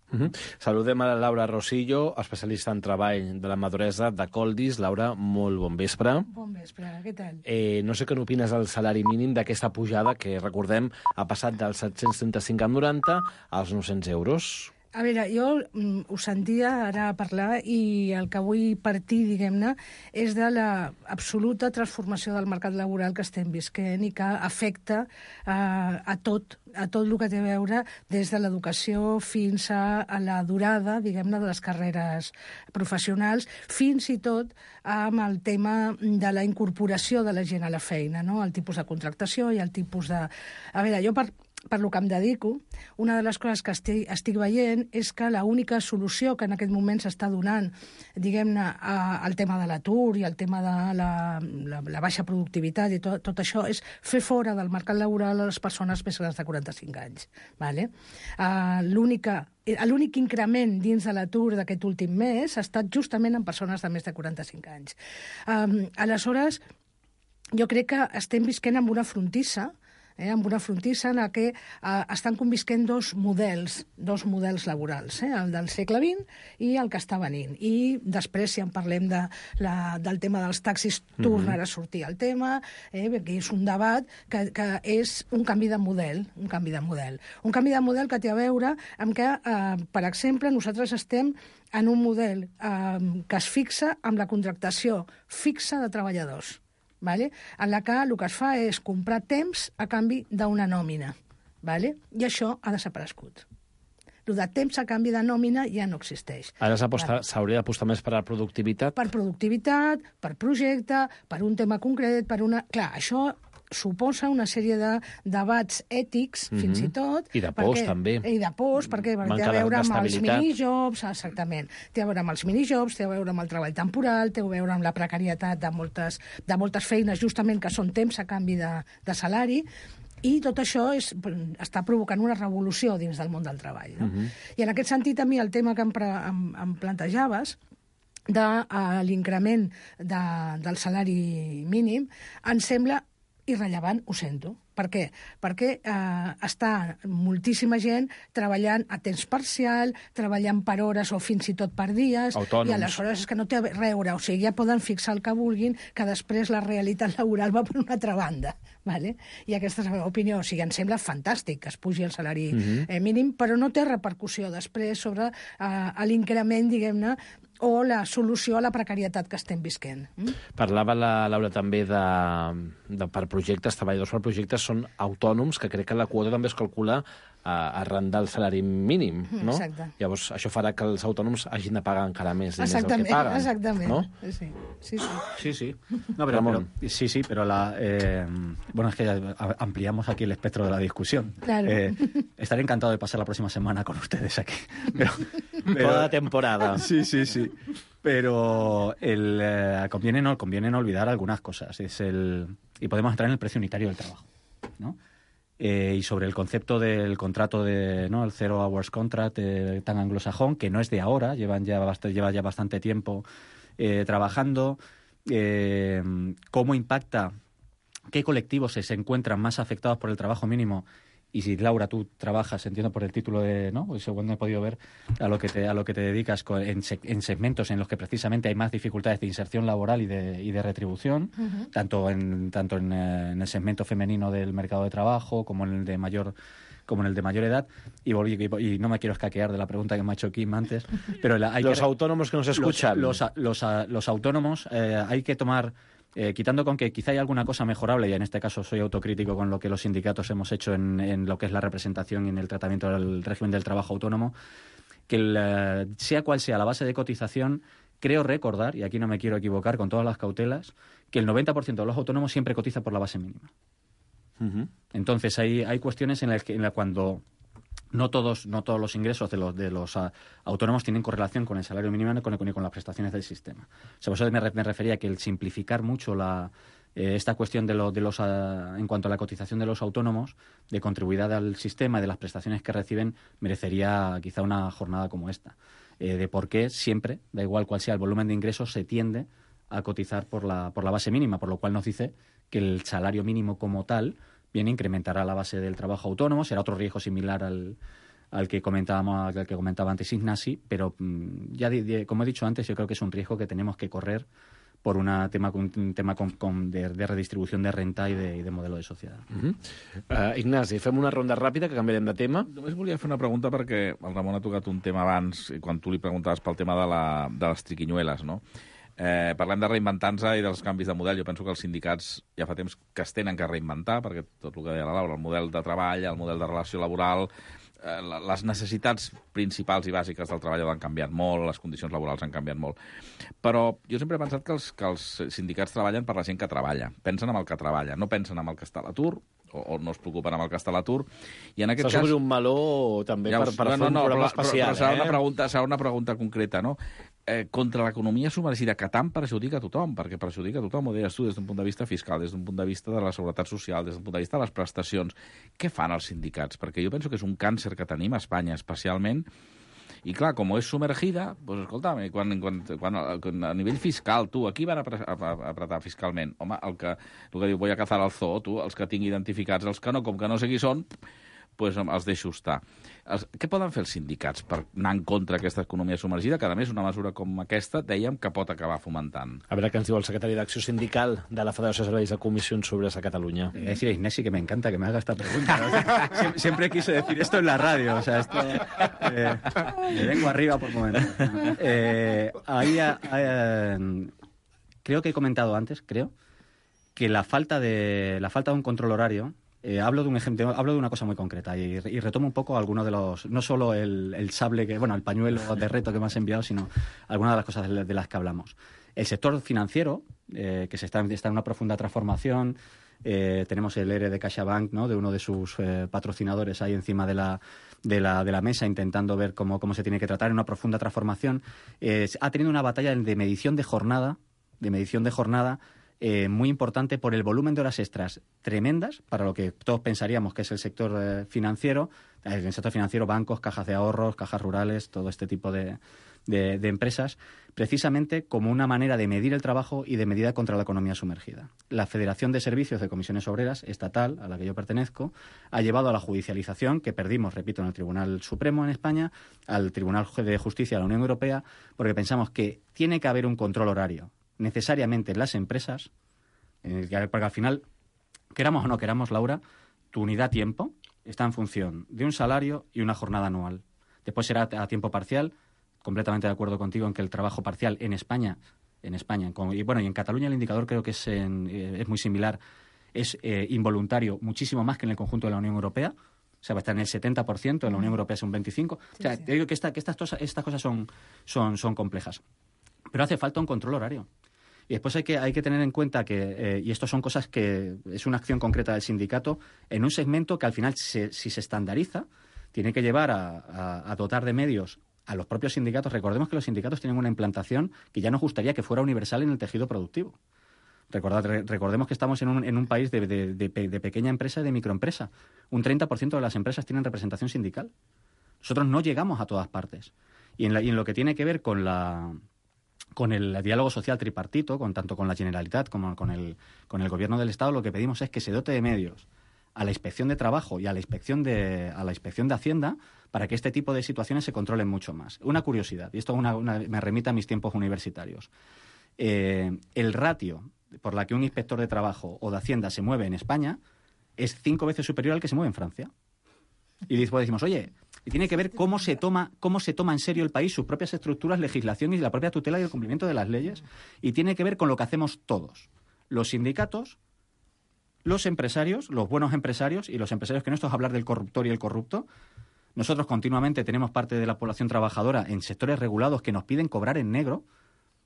Saludem a la Laura Rosillo, especialista en treball de la maduresa de Coldis. Laura, molt bon vespre. Bon vespre, què tal? No sé què n'opines del salari mínim d'aquesta pujada que, recordem, ha passat dels 735,90 als 900 euros. A veure, jo ho sentia ara parlar i el que vull partir, diguem-ne, és de l'absoluta transformació del mercat laboral que estem visquent i que afecta a tot el que té a veure des de l'educació fins a la durada, diguem-ne, de les carreres professionals, fins i tot amb el tema de la incorporació de la gent a la feina, no? El tipus de contractació i el tipus de... A veure, jo per lo que em dedico, una de les coses que estic veient és que l'única solució que en aquest moment s'està donant, diguem-ne, al tema de l'atur i al tema de la baixa productivitat i tot això és fer fora del mercat laboral a les persones més grans de 45 anys. Vale? L'únic increment dins de l'atur d'aquest últim mes ha estat justament en persones de més de 45 anys. Aleshores, jo crec que estem visquent amb una frontissa, en la que estan convisquent dos models laborals, el del segle XX i el que està venint. I després, si en parlem del tema dels taxis, tornarà a sortir el tema, perquè és un debat que és un canvi de model, un canvi de model que té a veure amb que, per exemple, nosaltres estem en un model que es fixa amb la contractació fixa de treballadors. Vale? En la que el que es fa és comprar temps a canvi d'una nòmina. Vale? I això ha desaparegut. El de temps a canvi de nòmina ja no existeix. Ara s'hauria d'apostar més per la productivitat? Per productivitat, per projecte, per un tema concret, per una... Clar, això suposa una sèrie de debats ètics, fins i tot. I de pors, també. I de pors, perquè té a veure amb els minijobs, exactament. Té a veure amb els minijobs, té a veure amb el treball temporal, té a veure amb la precarietat de moltes feines, justament que són temps a canvi de salari, i tot això està provocant una revolució dins del món del treball. No? I en aquest sentit, a mi, el tema que em plantejaves, de l'increment del salari mínim, em sembla irrellevant, ho sento. Per què? Perquè està moltíssima gent treballant a temps parcial, treballant per hores o fins i tot per dies, autònoms. I aleshores és que no té a veure, o sigui, ja poden fixar el que vulguin, que després la realitat laboral va per una altra banda. Vale? I aquesta és la meva opinió. O sigui, em sembla fantàstic que es pugi el salari mínim, però no té repercussió després sobre l'increment, diguem-ne, o la solució a la precarietat que estem visquent. Parlava la Laura també per projectes, treballadors per projectes són autònoms, que crec que la quota també es calcula arran del salari mínim, no? Exacte. Llavors, això farà que els autònoms hagin de pagar encara més diners del que paguen. Exactament. ¿No? Sí. No, pero bueno, es que ampliamos aquí el espectro de la discusión. Claro. Estaré encantado de pasar la próxima semana con ustedes aquí. Toda la temporada. Sí. Pero conviene no olvidar algunas cosas. Y podemos entrar en el precio unitario del trabajo, ¿no? Y sobre el concepto del contrato el Zero Hours Contract tan anglosajón, que no es de ahora, lleva ya bastante tiempo trabajando, cómo impacta, qué colectivos se encuentran más afectados por el trabajo mínimo. Y si, Laura, tú trabajas, entiendo por el título según he podido ver, a lo que te dedicas en segmentos en los que precisamente hay más dificultades de inserción laboral y de retribución, tanto en el segmento femenino del mercado de trabajo como en el de mayor edad, y no me quiero escaquear de la pregunta que me ha hecho Kim antes, pero los autónomos que nos escuchan. Los autónomos hay que tomar... quitando con que quizá hay alguna cosa mejorable, y en este caso soy autocrítico con lo que los sindicatos hemos hecho en lo que es la representación y en el tratamiento del régimen del trabajo autónomo, que sea cual sea la base de cotización, creo recordar, y aquí no me quiero equivocar con todas las cautelas, que el 90% de los autónomos siempre cotiza por la base mínima. Entonces hay cuestiones en las que cuando... No todos los ingresos de los autónomos tienen correlación con el salario mínimo ni con las prestaciones del sistema. O sea, por eso me refería a que el simplificar mucho esta cuestión en cuanto a la cotización de los autónomos, de contribuidad al sistema y de las prestaciones que reciben, merecería quizá una jornada como esta. De por qué siempre, da igual cuál sea el volumen de ingresos, se tiende a cotizar por la base mínima, por lo cual nos dice que el salario mínimo como tal bien, incrementará la base del trabajo autónomo, será otro riesgo similar al que comentaba antes Ignasi, pero ya como he dicho antes, yo creo que es un riesgo que tenemos que correr por un tema de redistribució de renta i de model de societat. Ignasi, fem una ronda ràpida, que canviarem de tema. Només volia fer una pregunta perquè el Ramon ha tocat un tema abans, quan tu li preguntaves pel tema de les triquinyueles, no? Parlem de reinventar-nos i dels canvis de model. Jo penso que els sindicats ja fa temps que es tenen que reinventar, perquè tot el que deia la Laura, el model de treball, el model de relació laboral, les necessitats principals i bàsiques del treball han canviat molt, les condicions laborals han canviat molt. Però jo sempre he pensat que els sindicats treballen per la gent que treballa. Pensen en el que treballa, no pensen en el que està a l'atur, o no es preocupen amb el que està a l'atur. I en aquest cas... S'obre un meló també per fer un programa especial. Però serà una pregunta concreta, no? Contra l'economia submergida, que tant perjudica a tothom, perquè perjudica a tothom, ho deies tu, des d'un punt de vista fiscal, des d'un punt de vista de la seguretat social, des d'un punt de vista de les prestacions. Què fan els sindicats? Perquè jo penso que és un càncer que tenim a Espanya, especialment. I clar, com és submergida, doncs escolta'm, quan a nivell fiscal, tu, aquí van apretar fiscalment. Home, el que diu voy a cazar al zoo, tu, els que tingui identificats, els que no, com que no sé qui són, doncs els deixo estar. Què poden fer els sindicats per anar en contra d'aquesta economia submergida, que a més una mesura com aquesta dèiem que pot acabar fomentant? A veure què ens diu el secretari d'Acció Sindical de la Federació de Serveis de Comisiones Obreras a Cataluña. Decir a Ignasi que me encanta que me haga esta pregunta. Siempre quise decir esto en la radio, o sea, esto me vengo arriba por momentos. Creo que he comentado antes, que la falta de un control horario. Hablo de un ejemplo, hablo de una cosa muy concreta y retomo un poco algunos de los, no solo el sable, el pañuelo de reto que me has enviado, sino algunas de las cosas de las que hablamos. El sector financiero, que está en una profunda transformación, tenemos el ERE de CaixaBank, ¿no?, de uno de sus patrocinadores ahí encima de la mesa, intentando ver cómo se tiene que tratar, en una profunda transformación. Ha tenido una batalla de medición de jornada, muy importante por el volumen de horas extras tremendas para lo que todos pensaríamos que es el sector financiero. En el sector financiero, bancos, cajas de ahorros, cajas rurales, todo este tipo de empresas, precisamente como una manera de medir el trabajo y de medida contra la economía sumergida. La Federación de Servicios de Comisiones Obreras estatal, a la que yo pertenezco, ha llevado a la judicialización, que perdimos, repito, en el Tribunal Supremo en España, al Tribunal de Justicia de la Unión Europea, porque pensamos que tiene que haber un control horario necesariamente en las empresas, porque al final, queramos o no queramos, Laura, tu unidad tiempo está en función de un salario y una jornada anual. Después será a tiempo parcial, completamente de acuerdo contigo en que el trabajo parcial en España, y en Cataluña el indicador creo que es muy similar, es involuntario muchísimo más que en el conjunto de la Unión Europea. O sea, va a estar en el 70%, en la Unión Europea es un 25%. O sea, te digo que estas cosas son complejas. Pero hace falta un control horario. Y después hay que tener en cuenta que, y esto son cosas que es una acción concreta del sindicato, en un segmento que al final, si se estandariza, tiene que llevar a dotar de medios a los propios sindicatos. Recordemos que los sindicatos tienen una implantación que ya nos gustaría que fuera universal en el tejido productivo. Recordemos que estamos en un país de pequeña empresa y de microempresa. Un 30% de las empresas tienen representación sindical. Nosotros no llegamos a todas partes. Y en lo que tiene que ver con el diálogo social tripartito, tanto con la Generalitat como con el Gobierno del Estado, lo que pedimos es que se dote de medios a la Inspección de Trabajo y a la Inspección de Hacienda para que este tipo de situaciones se controlen mucho más. Una curiosidad, y esto me remite a mis tiempos universitarios. El ratio por la que un inspector de trabajo o de Hacienda se mueve en España es 5 veces superior al que se mueve en Francia. Y después decimos, oye, tiene que ver cómo se toma en serio el país, sus propias estructuras, legislación y la propia tutela y el cumplimiento de las leyes, y tiene que ver con lo que hacemos todos, los sindicatos, los empresarios, los buenos empresarios y los empresarios, que no esto es hablar del corruptor y el corrupto. Nosotros continuamente tenemos parte de la población trabajadora en sectores regulados que nos piden cobrar en negro.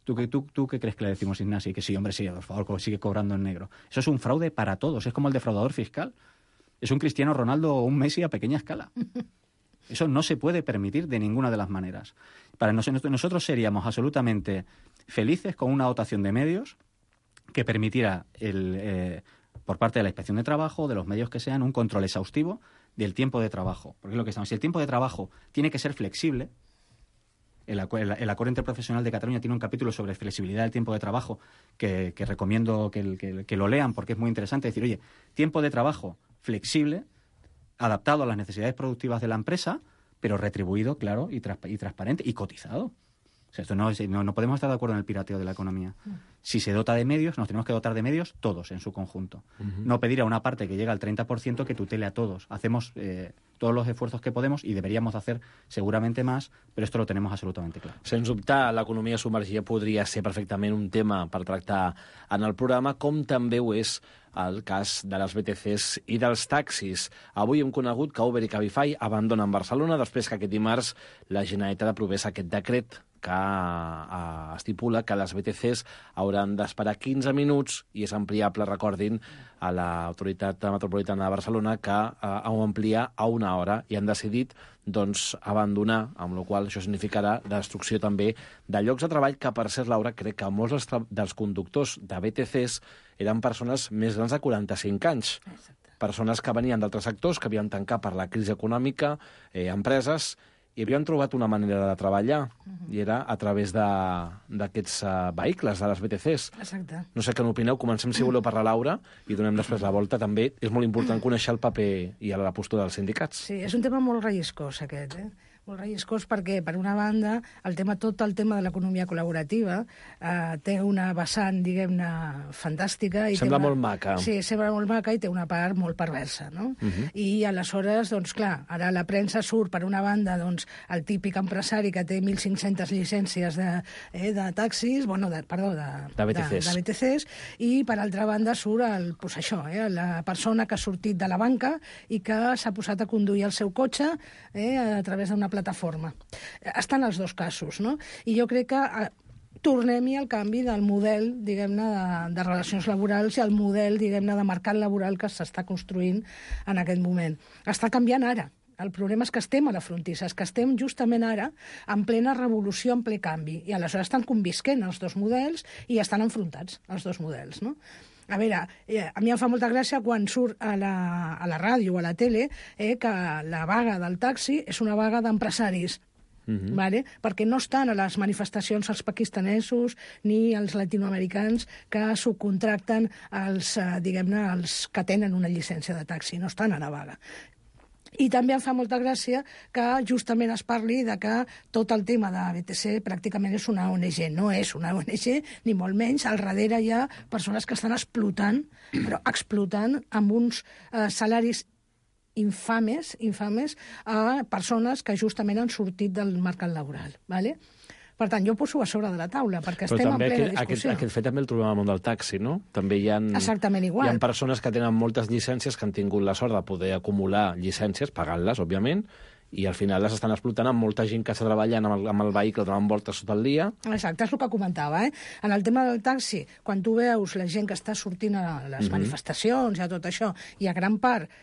¿Tú qué crees que le decimos, Ignasi? Que sí, hombre, sí, por favor, sigue cobrando en negro. Eso es un fraude para todos, es como el defraudador fiscal. Es un Cristiano Ronaldo o un Messi a pequeña escala. Eso no se puede permitir de ninguna de las maneras. Para nosotros seríamos absolutamente felices con una dotación de medios que permitiera, por parte de la Inspección de Trabajo, de los medios que sean, un control exhaustivo del tiempo de trabajo. Porque es lo que estamos. Si el tiempo de trabajo tiene que ser flexible, el Acuerdo Interprofesional de Cataluña tiene un capítulo sobre flexibilidad del tiempo de trabajo que recomiendo que lo lean porque es muy interesante. Decir, oye, tiempo de trabajo flexible, adaptado a las necesidades productivas de la empresa, pero retribuido, claro, y transparente, y cotizado. O sea, esto no podemos estar de acuerdo en el pirateo de la economía. Si se dota de medios, nos tenemos que dotar de medios todos en su conjunto. No pedir a una parte que llega al 30% que tutele a todos. Hacemos todos los esfuerzos que podemos i deberíamos hacer seguramente más, però esto lo tenemos absolutamente claro. Sens dubte, l'economia submergida podria ser perfectament un tema per tractar en el programa, com també ho és el cas de les BTCs i dels taxis. Avui hem conegut que Uber i Cabify abandonen Barcelona després que aquest dimarts la Generalitat aprovés aquest decret que estipula que les BTCs hauran d'esperar 15 minuts i és ampliable, recordin, a l'Autoritat Metropolitana de Barcelona que ho amplia a 1 hora i han decidit doncs, abandonar, amb la qual això significarà la destrucció també de llocs de treball que, per cert, Laura, crec que molts dels conductors de BTCs eren persones més grans de 45 anys. Exacte. Persones que venien d'altres sectors, que havien tancat per la crisi econòmica, empreses, i havien trobat una manera de treballar, i era a través d'aquests vehicles, de les BTCs. Exacte. No sé què n'opineu, comencem, si voleu, per la Laura, i donem després la volta. També és molt important conèixer el paper i la postura dels sindicats. Sí, és un tema molt relliscós, aquest, molt relliscós perquè, per una banda, tot el tema de l'economia col·laborativa té una vessant, diguem-ne, fantàstica. Sembla molt maca. Sí, sembla molt maca i té una part molt perversa, no? I aleshores, doncs clar, ara la premsa surt, per una banda, doncs, el típic empresari que té 1.500 llicències de taxis, de BTCs, i per altra banda surt la persona que ha sortit de la banca i que s'ha posat a conduir el seu cotxe a través d'una plataforma. Estan els dos casos, no? I jo crec que tornem-hi al canvi del model, diguem-ne, de relacions laborals i el model, diguem-ne, de mercat laboral que s'està construint en aquest moment. Està canviant ara. El problema és que estem a la frontissa, és que estem justament ara en plena revolució, en ple canvi, i aleshores estan convisquent els dos models i estan enfrontats els dos models, no? A veure, a mi em fa molta gràcia quan surt a la ràdio o a la tele que la vaga del taxi és una vaga d'empresaris, vale? Perquè no estan a les manifestacions els pakistanesos ni els latinoamericans que subcontracten els que tenen una llicència de taxi, no estan a la vaga. I també em fa molta gràcia que justament es parli de que tot el tema de BTC pràcticament és una ONG. No és una ONG, ni molt menys. Al darrere hi ha persones que estan explotant, però explotant amb uns salaris infames a persones que justament han sortit del mercat laboral. ¿Vale? Per tant, jo ho poso a sobre de la taula, perquè estem en plena discussió. Aquest fet també el trobem al món del taxi, no? També hi ha exactament igual. Hi ha persones que tenen moltes llicències, que han tingut la sort de poder acumular llicències, pagant-les, òbviament, i al final les estan explotant amb molta gent que està treballant amb el vehicle donant voltes tot el dia. Exacte, és el que comentava. En el tema del taxi, quan tu veus la gent que està sortint a les manifestacions i a tot això, i a gran part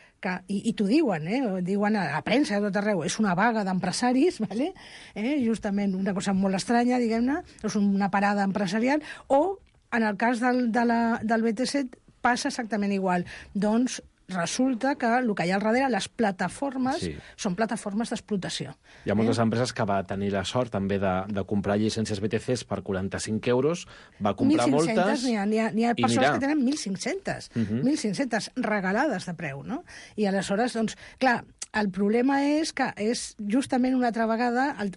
i t'ho diuen, diuen a la premsa a tot arreu, és una vaga d'empresaris, ¿vale? Justament una cosa molt estranya, diguem-ne, és una parada empresarial, o en el cas del BTC passa exactament igual. Doncs resulta que el que hi ha al darrere, les plataformes, són plataformes d'explotació. Hi ha moltes empreses que va tenir la sort també de comprar llicències BTCs per 45 euros, va comprar 1.500, moltes... N'hi ha persones que tenen 1.500, 1.500 regalades de preu, no? I aleshores, doncs, clar, el problema és que és justament una altra vegada el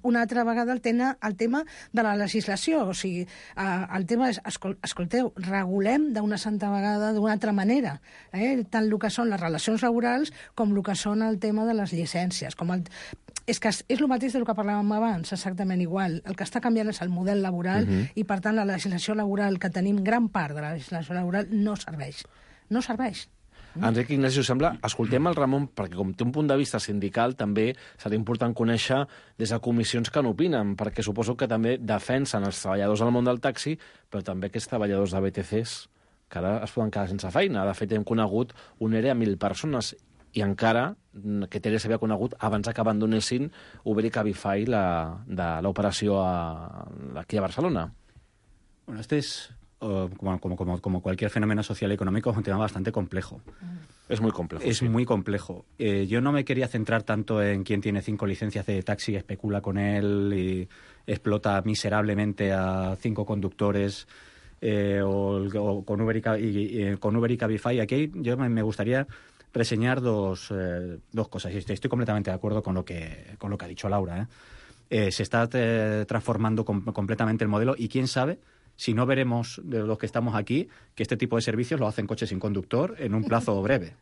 tema de la legislació. O sigui, el tema és, escolteu, regulem d'una santa vegada d'una altra manera, tant el que són les relacions laborals com el que són el tema de les llicències. És que és el mateix del que parlàvem abans, exactament igual. El que està canviant és el model laboral i, per tant, la legislació laboral que tenim, gran part de la legislació laboral, no serveix. No serveix. Enric Ignasi, us sembla? Escoltem el Ramon, perquè com té un punt de vista sindical, també serà important conèixer des de comissions que n'opinen, perquè suposo que també defensen els treballadors del món del taxi, però també aquests treballadors de BTCs, que ara es poden quedar sense feina. De fet, hem conegut un ERE a 1.000 persones, i encara aquest ERE s'havia conegut abans que abandonessin Uber i Cabify de l'operació aquí a Barcelona. Bueno, este es... Como cualquier fenómeno social y económico, es un tema bastante complejo. Es muy complejo. Es muy complejo. Yo no me quería centrar tanto en quién tiene 5 licencias de taxi, especula con él y explota miserablemente a 5 conductores o con Uber y Cabify. Aquí yo me gustaría reseñar dos cosas. Y estoy completamente de acuerdo con lo que ha dicho Laura. Se está transformando completamente el modelo y quién sabe si no veremos de los que estamos aquí que este tipo de servicios lo hacen coches sin conductor en un plazo breve.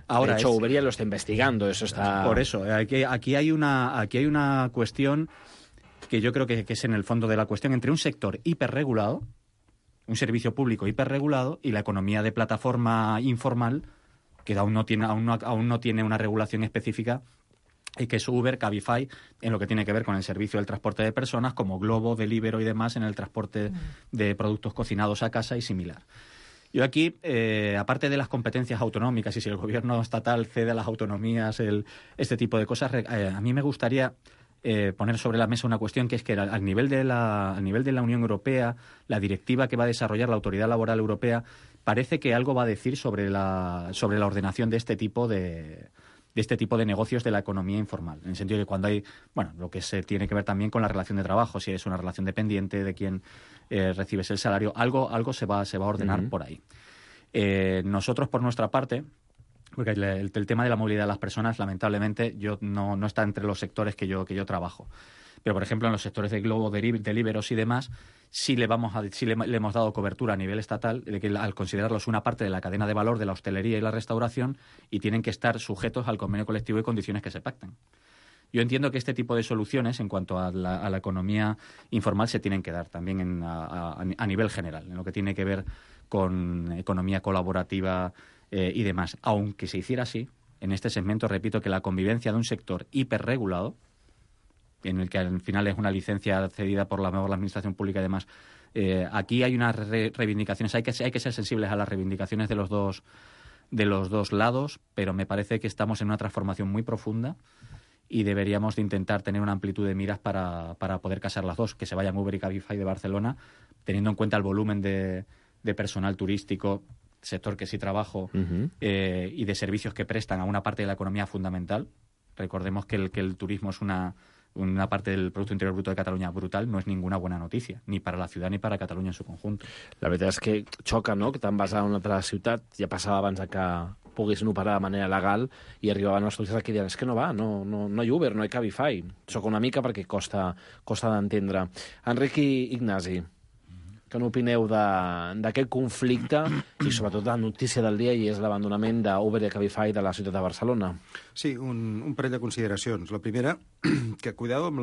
Ahora, de hecho, Uber ya lo está investigando, eso está... Por eso, aquí hay una cuestión que yo creo que es en el fondo de la cuestión entre un sector hiperregulado, un servicio público hiperregulado, y la economía de plataforma informal, que aún no tiene una regulación específica, y que es Uber, Cabify, en lo que tiene que ver con el servicio del transporte de personas, como Globo, Deliveroo y demás, en el transporte de productos cocinados a casa y similar. Yo aquí, aparte de las competencias autonómicas, y si el gobierno estatal cede a las autonomías este tipo de cosas, a mí me gustaría poner sobre la mesa una cuestión, que es que al nivel de la Unión Europea, la directiva que va a desarrollar la Autoridad Laboral Europea, parece que algo va a decir sobre la ordenación de este tipo de negocios de la economía informal, en el sentido de que cuando hay, lo que se tiene que ver también con la relación de trabajo, si es una relación dependiente de quien recibes el salario, algo se va a ordenar por ahí. Nosotros, por nuestra parte, porque el tema de la movilidad de las personas, lamentablemente, no está entre los sectores que yo trabajo. Pero, por ejemplo, en los sectores de Globo, Deliveros y demás, sí le hemos dado cobertura a nivel estatal, de que al considerarlos una parte de la cadena de valor de la hostelería y la restauración, y tienen que estar sujetos al convenio colectivo y condiciones que se pacten. Yo entiendo que este tipo de soluciones, en cuanto a la economía informal, se tienen que dar también a nivel general, en lo que tiene que ver con economía colaborativa y demás. Aunque se hiciera así, en este segmento, repito, que la convivencia de un sector hiperregulado, en el que al final es una licencia cedida por la administración pública y demás, aquí hay unas reivindicaciones, hay que ser sensibles a las reivindicaciones de los dos lados, pero me parece que estamos en una transformación muy profunda y deberíamos de intentar tener una amplitud de miras para poder casar las dos, que se vayan Uber y Cabify de Barcelona, teniendo en cuenta el volumen de personal turístico, sector que sí trabajo, y de servicios que prestan a una parte de la economía fundamental. Recordemos que el turismo es una parte del Producto Interior Bruto de Catalunya brutal, no és ninguna bona notícia, ni per a la ciutat ni per a Catalunya en su conjunt. La veritat és que xoca, no?, que te'n vas a una altra ciutat, ja passava abans que poguessin operar de manera legal i arribaven els turistes que diuen, és que no va, no hi ha Uber, no hi ha Cabify. Xoca una mica perquè costa d'entendre. Enric i Ignasi, què n'opineu d'aquest conflicte i sobretot la notícia del dia, i és l'abandonament d'Uber i Cabify de la ciutat de Barcelona? Sí, un parell de consideracions. La primera, que cuidado amb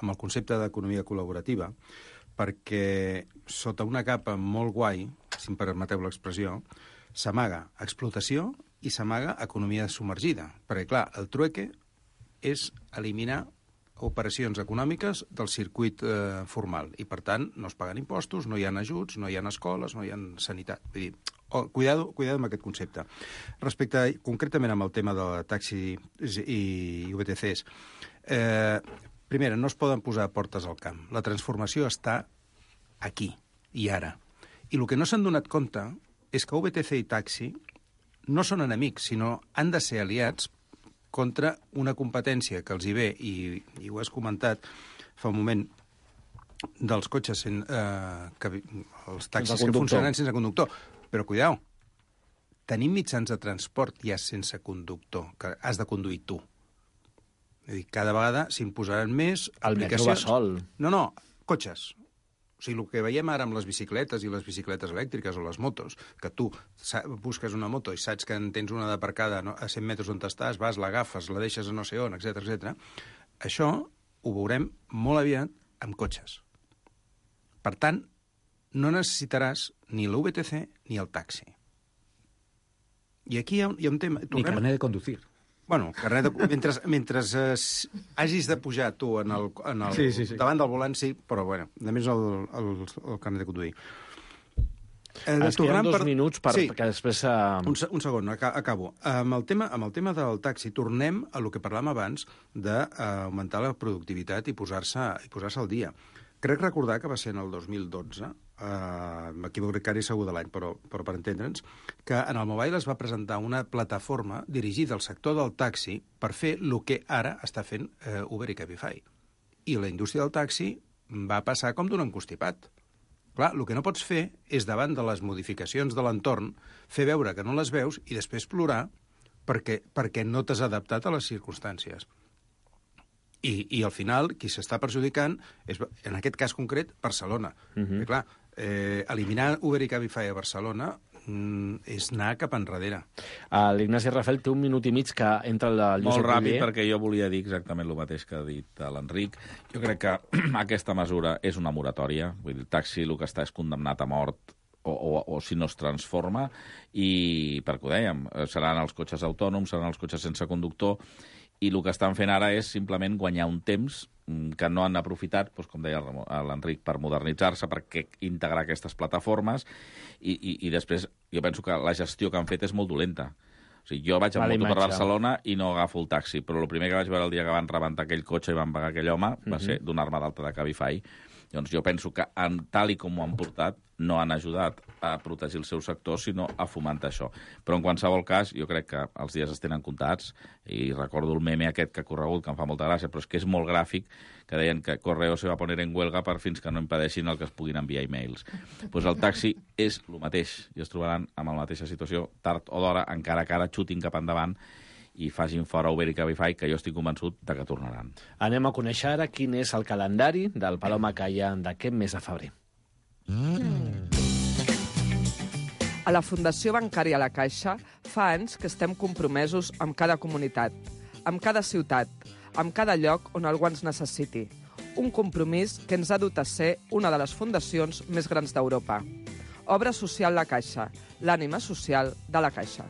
el concepte d'economia col·laborativa, perquè sota una capa molt guai, si em permeteu l'expressió, s'amaga explotació i s'amaga economia submergida. Perquè, clar, el trueque és eliminar operacions econòmiques del circuit formal i, per tant, no es paguen impostos, no hi ha ajuts, no hi ha escoles, no hi ha sanitat. Vull dir, cuidado amb aquest concepte. Respecte concretament amb el tema de taxi i VTCs, primera, no es poden posar portes al camp. La transformació està aquí i ara. I el que no s'han donat compte és que VTC i taxi no són enemics, sinó han de ser aliats contra una competència que els hi ve, i ho has comentat fa un moment, dels cotxes, els taxis que funcionen sense conductor. Però, cuidao, tenim mitjans de transport ja sense conductor, que has de conduir tu. És dir, cada vegada s'imposaran més aplicacions. El metro va sol. No, cotxes. O sigui, el que veiem ara amb les bicicletes i les bicicletes elèctriques o les motos, que tu busques una moto i saps que en tens una d'aparcada a 100 metres on estàs, vas, l'agafes, la deixes a no sé on, etc. Això ho veurem molt aviat amb cotxes. Per tant, no necessitaràs ni l'VTC ni el taxi. I aquí hi ha un tema... Ni carnet de conducir. Bueno, mentre hagis de pujar tu sí. davant del volant, sí, però, bueno, només el carnet de conduir. Ens queden 2 minuts perquè després... Un segon, acabo. Amb el tema del taxi, tornem a el que parlàvem abans d'augmentar la productivitat i posar-se al dia. Crec recordar que va ser en el 2012, m'equivocaré segur de l'any, però per entendre'ns, que en el Mobile es va presentar una plataforma dirigida al sector del taxi per fer el que ara està fent Uber i Cabify. I la indústria del taxi va passar com d'un encostipat. Clar, el que no pots fer és, davant de les modificacions de l'entorn, fer veure que no les veus i després plorar perquè no t'has adaptat a les circumstàncies. I al final, qui s'està perjudicant és, en aquest cas concret, Barcelona. Perquè, clar, eliminar Uber i Cabify a Barcelona és anar cap enrere. L'Ignasi Rafel té 1 minut i mig que entra el Josep Molt ràpid, Oller. perquè jo volia dir exactament el mateix que ha dit l'Enric. Jo crec que aquesta mesura és una moratòria. Vull dir, el taxi el que està és condemnat a mort o si no es transforma, i perquè ho dèiem, seran els cotxes autònoms, seran els cotxes sense conductor, i el que estan fent ara és simplement guanyar un temps que no han aprofitat, doncs, com deia l'Enric, per modernitzar-se, per integrar aquestes plataformes, i després jo penso que la gestió que han fet és molt dolenta. O sigui, jo vaig amb moto per Barcelona i no agafo el taxi, però el primer que vaig veure el dia que van rebentar aquell cotxe i van pagar aquell home va ser donar-me d'alta de Cabify. Doncs jo penso que, tal i com ho han portat, no han ajudat a protegir el seu sector, sinó a fomentar això. Però en qualsevol cas, jo crec que els dies es tenen comptats, i recordo el meme aquest que ha corregut, que em fa molta gràcia, però és que és molt gràfic, que deien que Correo se va poner en huelga fins que no impedeixin el que es puguin enviar e-mails. Doncs el taxi és el mateix, i es trobaran amb la mateixa situació tard o d'hora, encara que ara xutin cap endavant i facin fora Uber i Cabify, que jo estic convençut de que tornaran. Anem a conèixer ara quin és el calendari del Palau Macaya d'aquest mes de febrer. A la Fundació Bancària La Caixa fa anys que estem compromesos amb cada comunitat, amb cada ciutat, amb cada lloc on algú ens necessiti. Un compromís que ens ha dut a ser una de les fundacions més grans d'Europa. Obra Social La Caixa, l'ànima social de la Caixa.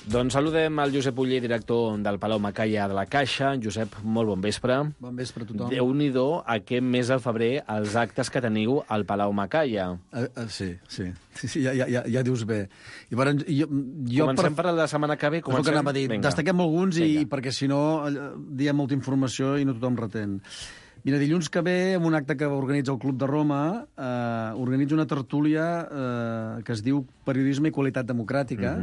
Doncs saludem el Josep Oller, director del Palau Macaya de la Caixa. Josep, molt bon vespre. Bon vespre a tothom. Déu-n'hi-do aquest mes de febrer els actes que teniu al Palau Macaya. Sí, ja dius bé. Llavors, Comencem per la setmana que ve. És el que anava a dir. Destaquem alguns perquè si no diem molta informació i no tothom retén. Mira, dilluns que ve, en un acte que organitza el Club de Roma, organitza una tertúlia que es diu Periodisme i Qualitat Democràtica,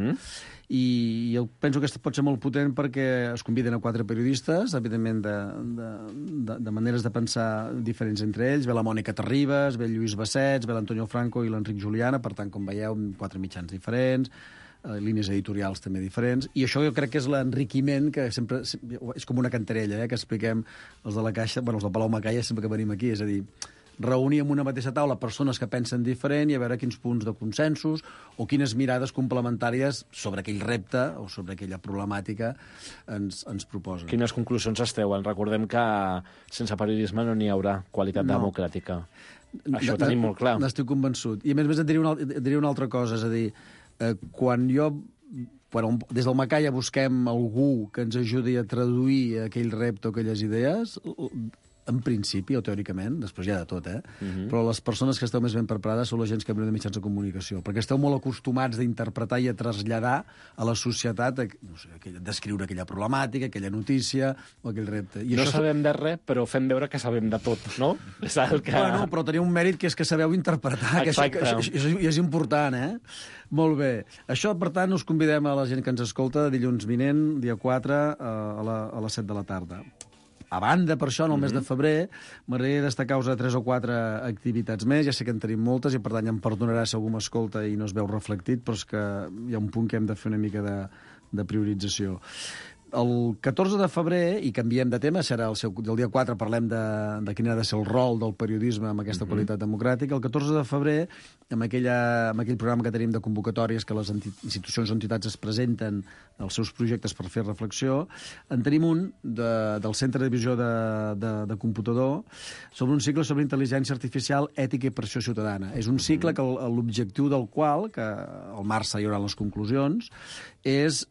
i jo penso que pot ser molt potent perquè es conviden a 4 periodistes, evidentment de maneres de pensar diferents entre ells. Ve la Mònica Terribas, ve el Lluís Bassets, ve l'Antonio Franco i l'Enric Juliana, per tant, com veieu, 4 mitjans diferents, línies editorials també diferents, i això jo crec que és l'enriquiment que sempre... És com una cantarella, que expliquem els de la Caixa, els del Palau Macaya sempre que venim aquí, és a dir, reunir en una mateixa taula persones que pensen diferent i a veure quins punts de consensos o quines mirades complementàries sobre aquell repte o sobre aquella problemàtica ens proposen. Quines conclusions es treuen? Recordem que sense periodisme no n'hi haurà qualitat democràtica. Això ho tenim molt clar. N'estic convençut. I a més et diria una altra cosa, és a dir, quan des del Macaya busquem algú que ens ajudi a traduir aquell repte o aquelles idees, en principi o teòricament, després hi ha de tot, però les persones que esteu més ben preparades són la gent que venen de mitjans de comunicació, perquè esteu molt acostumats d'interpretar i a traslladar a la societat, no sé, descriure aquella problemàtica, aquella notícia o aquell repte. I no sabem de res, però fem veure que sabem de tot, no? És el que... Bueno, però teniu un mèrit que és que sabeu interpretar, que és important, Molt bé. Això, per tant, us convidem a la gent que ens escolta dilluns vinent, dia 4, a les 7 de la tarda. A banda, per això, en el mes de febrer, m'agradaria destacar-vos 3 o 4 activitats més. Ja sé que en tenim moltes i, per tant, ja em perdonarà si algú m'escolta i no es veu reflectit, però és que hi ha un punt que hem de fer una mica de priorització. El 14 de febrer, i canviem de tema, serà el dia 4, parlem de quin ha de ser el rol del periodisme amb aquesta qualitat democràtica. El 14 de febrer, amb aquell programa que tenim de convocatòries que les institucions o entitats es presenten els seus projectes per fer reflexió, en tenim un del Centre de Visió de Computador sobre un cicle sobre intel·ligència artificial, ètica i pressió ciutadana. És un cicle que l'objectiu del qual, que al març hi haurà les conclusions, és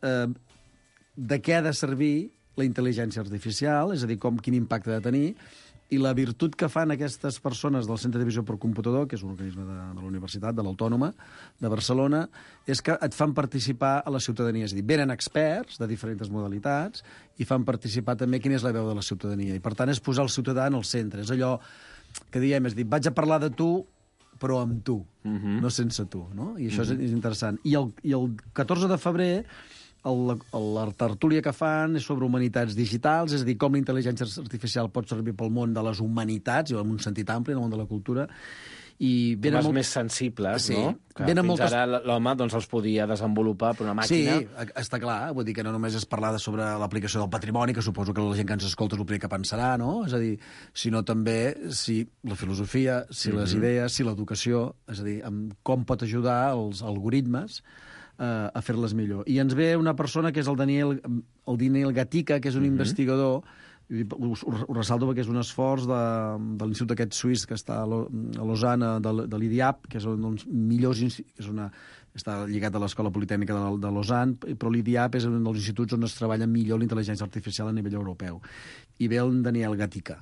de què ha de servir la intel·ligència artificial, és a dir, quin impacte ha de tenir, i la virtut que fan aquestes persones del Centre de Visió per Computador, que és un organisme de la Universitat, de l'Autònoma de Barcelona, és que et fan participar a la ciutadania. És a dir, venen experts de diferents modalitats i fan participar també quina és la veu de la ciutadania. I, per tant, és posar el ciutadà en el centre. És allò que diem, és dir, vaig a parlar de tu, però amb tu, no sense tu. No? I això és interessant. I el 14 de febrer la tertúlia que fan és sobre humanitats digitals, és a dir, com la intel·ligència artificial pot servir pel món de les humanitats, en un sentit ampli, en el món de la cultura, i temes més sensibles, no? Que fins ara l'home els podia desenvolupar per una màquina. Sí, està clar. Vull dir que no només és parlar sobre l'aplicació del patrimoni, que suposo que la gent que ens escolta és el primer que pensarà, no? És a dir, sinó també si la filosofia, si les idees, si l'educació, és a dir, com pot ajudar els algoritmes a fer-les millor. I ens ve una persona que és el Daniel Gatica, que és un investigador. Ho ressalto perquè és un esforç de l'institut aquest suís que està a Lausanne, de l'IDIAP, que és un dels millors està lligat a l'Escola Politècnica de Lausanne, però l'IDIAP és un dels instituts on es treballa millor l'intel·ligència artificial a nivell europeu. I ve el Daniel Gatica.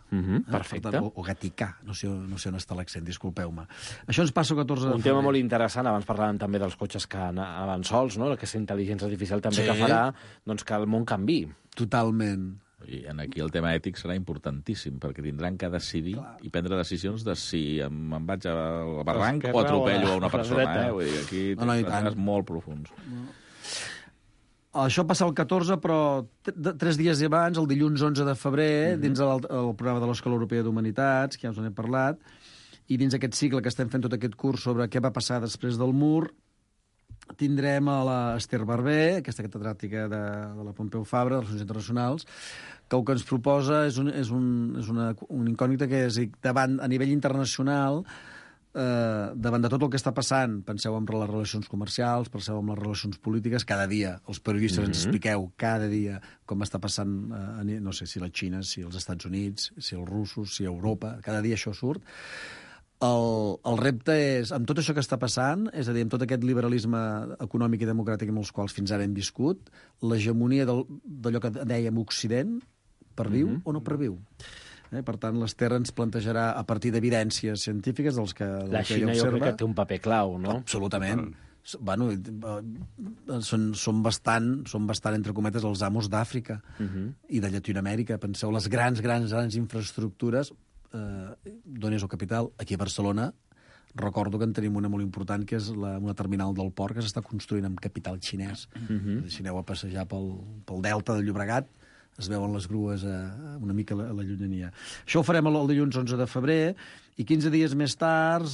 Perfecte. O Gatica, no sé on està l'accent, disculpeu-me. Això ens passa el 14 de febrer. Un tema molt interessant, abans parlàvem també dels cotxes que anaven sols, no? Aquesta intel·ligència artificial també que farà que el món canvi. Totalment. I aquí el tema ètic serà importantíssim, perquè tindran que decidir i prendre decisions de si em vaig al barranc o atropello a una persona. Vull dir, aquí temes molt profuns. Això passa el 14, però 3 dies abans, el dilluns 11 de febrer, dins el programa de l'Escola Europea d'Humanitats, que ja us n'he parlat, i dins aquest cicle que estem fent tot aquest curs sobre què va passar després del mur, tindrem a l'Ester Barber, aquesta catedràtica de la Pompeu Fabra, de les Relacions Internacionals, que el que ens proposa és una incògnita que és a nivell internacional, davant de tot el que està passant, penseu en les relacions comercials, penseu en les relacions polítiques, cada dia els periodistes ens expliqueu cada dia com està passant, no sé si la Xina, si els Estats Units, si els russos, si Europa, cada dia això surt. El repte és, amb tot això que està passant, és a dir, amb tot aquest liberalisme econòmic i democràtic amb els quals fins ara hem viscut, l'hegemonia d'allò que dèiem Occident, perviu o no perviu? Per tant, l'Ester ens plantejarà, a partir d'evidències científiques, dels que la Xina jo crec que té un paper clau, no? Absolutament. Bueno, són bastant, entre cometes, els amos d'Àfrica i de Llatinoamèrica. Penseu, les grans infraestructures, d'on és el capital? Aquí a Barcelona, recordo que en tenim una molt important, que és una terminal del port que s'està construint amb capital xinès. Si aneu a passejar pel delta del Llobregat, es veuen les grues una mica a la llunyania. Això ho farem el dilluns 11 de febrer, i 15 dies més tard,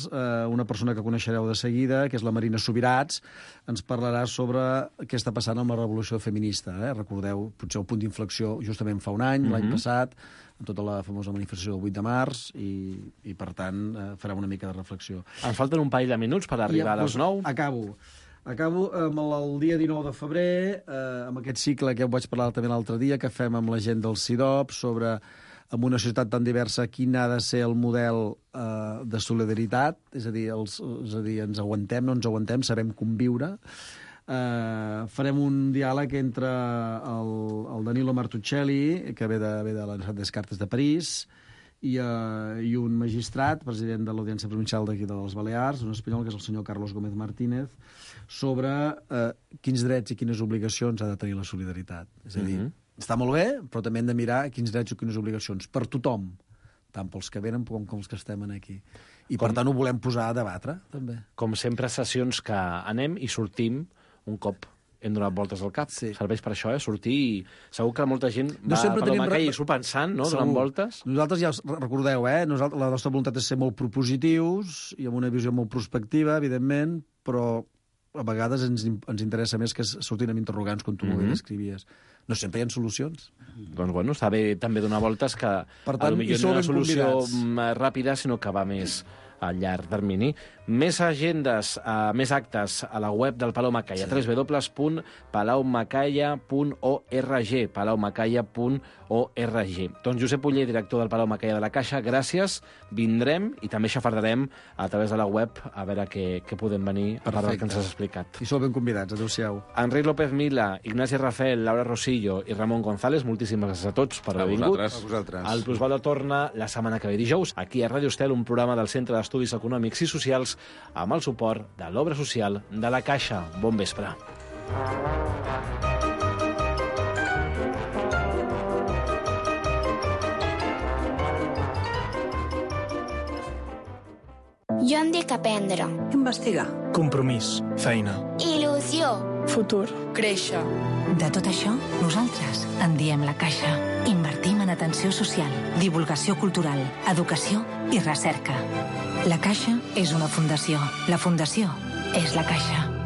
una persona que coneixereu de seguida, que és la Marina Subirats, ens parlarà sobre què està passant amb la revolució feminista. Recordeu, potser el punt d'inflexió justament fa un any, l'any passat, amb tota la famosa manifestació del 8 de març, i per tant farem una mica de reflexió. Ens falten un parell de minuts per arribar a les 9. Acabo amb el dia 19 de febrer, amb aquest cicle que ho vaig parlar també l'altre dia, que fem amb la gent del CIDOP, sobre, en una societat tan diversa, quin ha de ser el model de solidaritat, és a dir, ens aguantem, no ens aguantem, sabem conviure. Farem un diàleg entre el Danilo Martuccelli, que ve de la Universitat Descartes de París, i un magistrat, president de l'Audiència Provincial d'aquí de les Balears, un espanyol, que és el senyor Carlos Gómez Martínez, sobre quins drets i quines obligacions ha de tenir la solidaritat. És a dir, està molt bé, però també hem de mirar quins drets i quines obligacions per tothom, tant pels que venen com els que estem aquí. I per tant ho volem posar a debatre, també. Com sempre, sessions que anem i sortim un cop hem donat voltes al cap. Serveix per això, sortir i segur que molta gent va per la Macai i s'ho pensant, no?, donant voltes. Nosaltres ja recordeu, la nostra voluntat és ser molt propositius i amb una visió molt prospectiva, evidentment, però a vegades ens interessa més que sortin amb interrogants, com tu molt bé descrivies. No sempre hi ha solucions. Doncs bueno, està bé també donar voltes que potser no hi ha una solució ràpida, sinó que va més a llarg termini. Més agendes, més actes a la web del Palau Macaya, www.palaumacaya.org, palaumacaya.org. Doncs Josep Oller, director del Palau Macaya de la Caixa, gràcies, vindrem i també xafardarem a través de la web a veure què podem venir a part del que ens has explicat. I sou ben convidats, adéu-siau. Enric López Mila, Ignasi Rafel, Laura Rosillo i Ramon González, moltíssimes gràcies a tots per haver vingut. A vosaltres. El Plusvalor torna la setmana que ve dijous, aquí a Ràdio Estel, un programa del Centre d'Estudis Econòmics i Socials amb el suport de l'Obra Social de la Caixa. Bon vespre. Jo em dic aprendre. Investigar. Compromís. Feina. Il·lusió. Evolució. Futur. Créixer. De tot això, nosaltres en diem La Caixa. Invertim en atenció social, divulgació cultural, educació i recerca. La Caixa és una fundació. La fundació és La Caixa.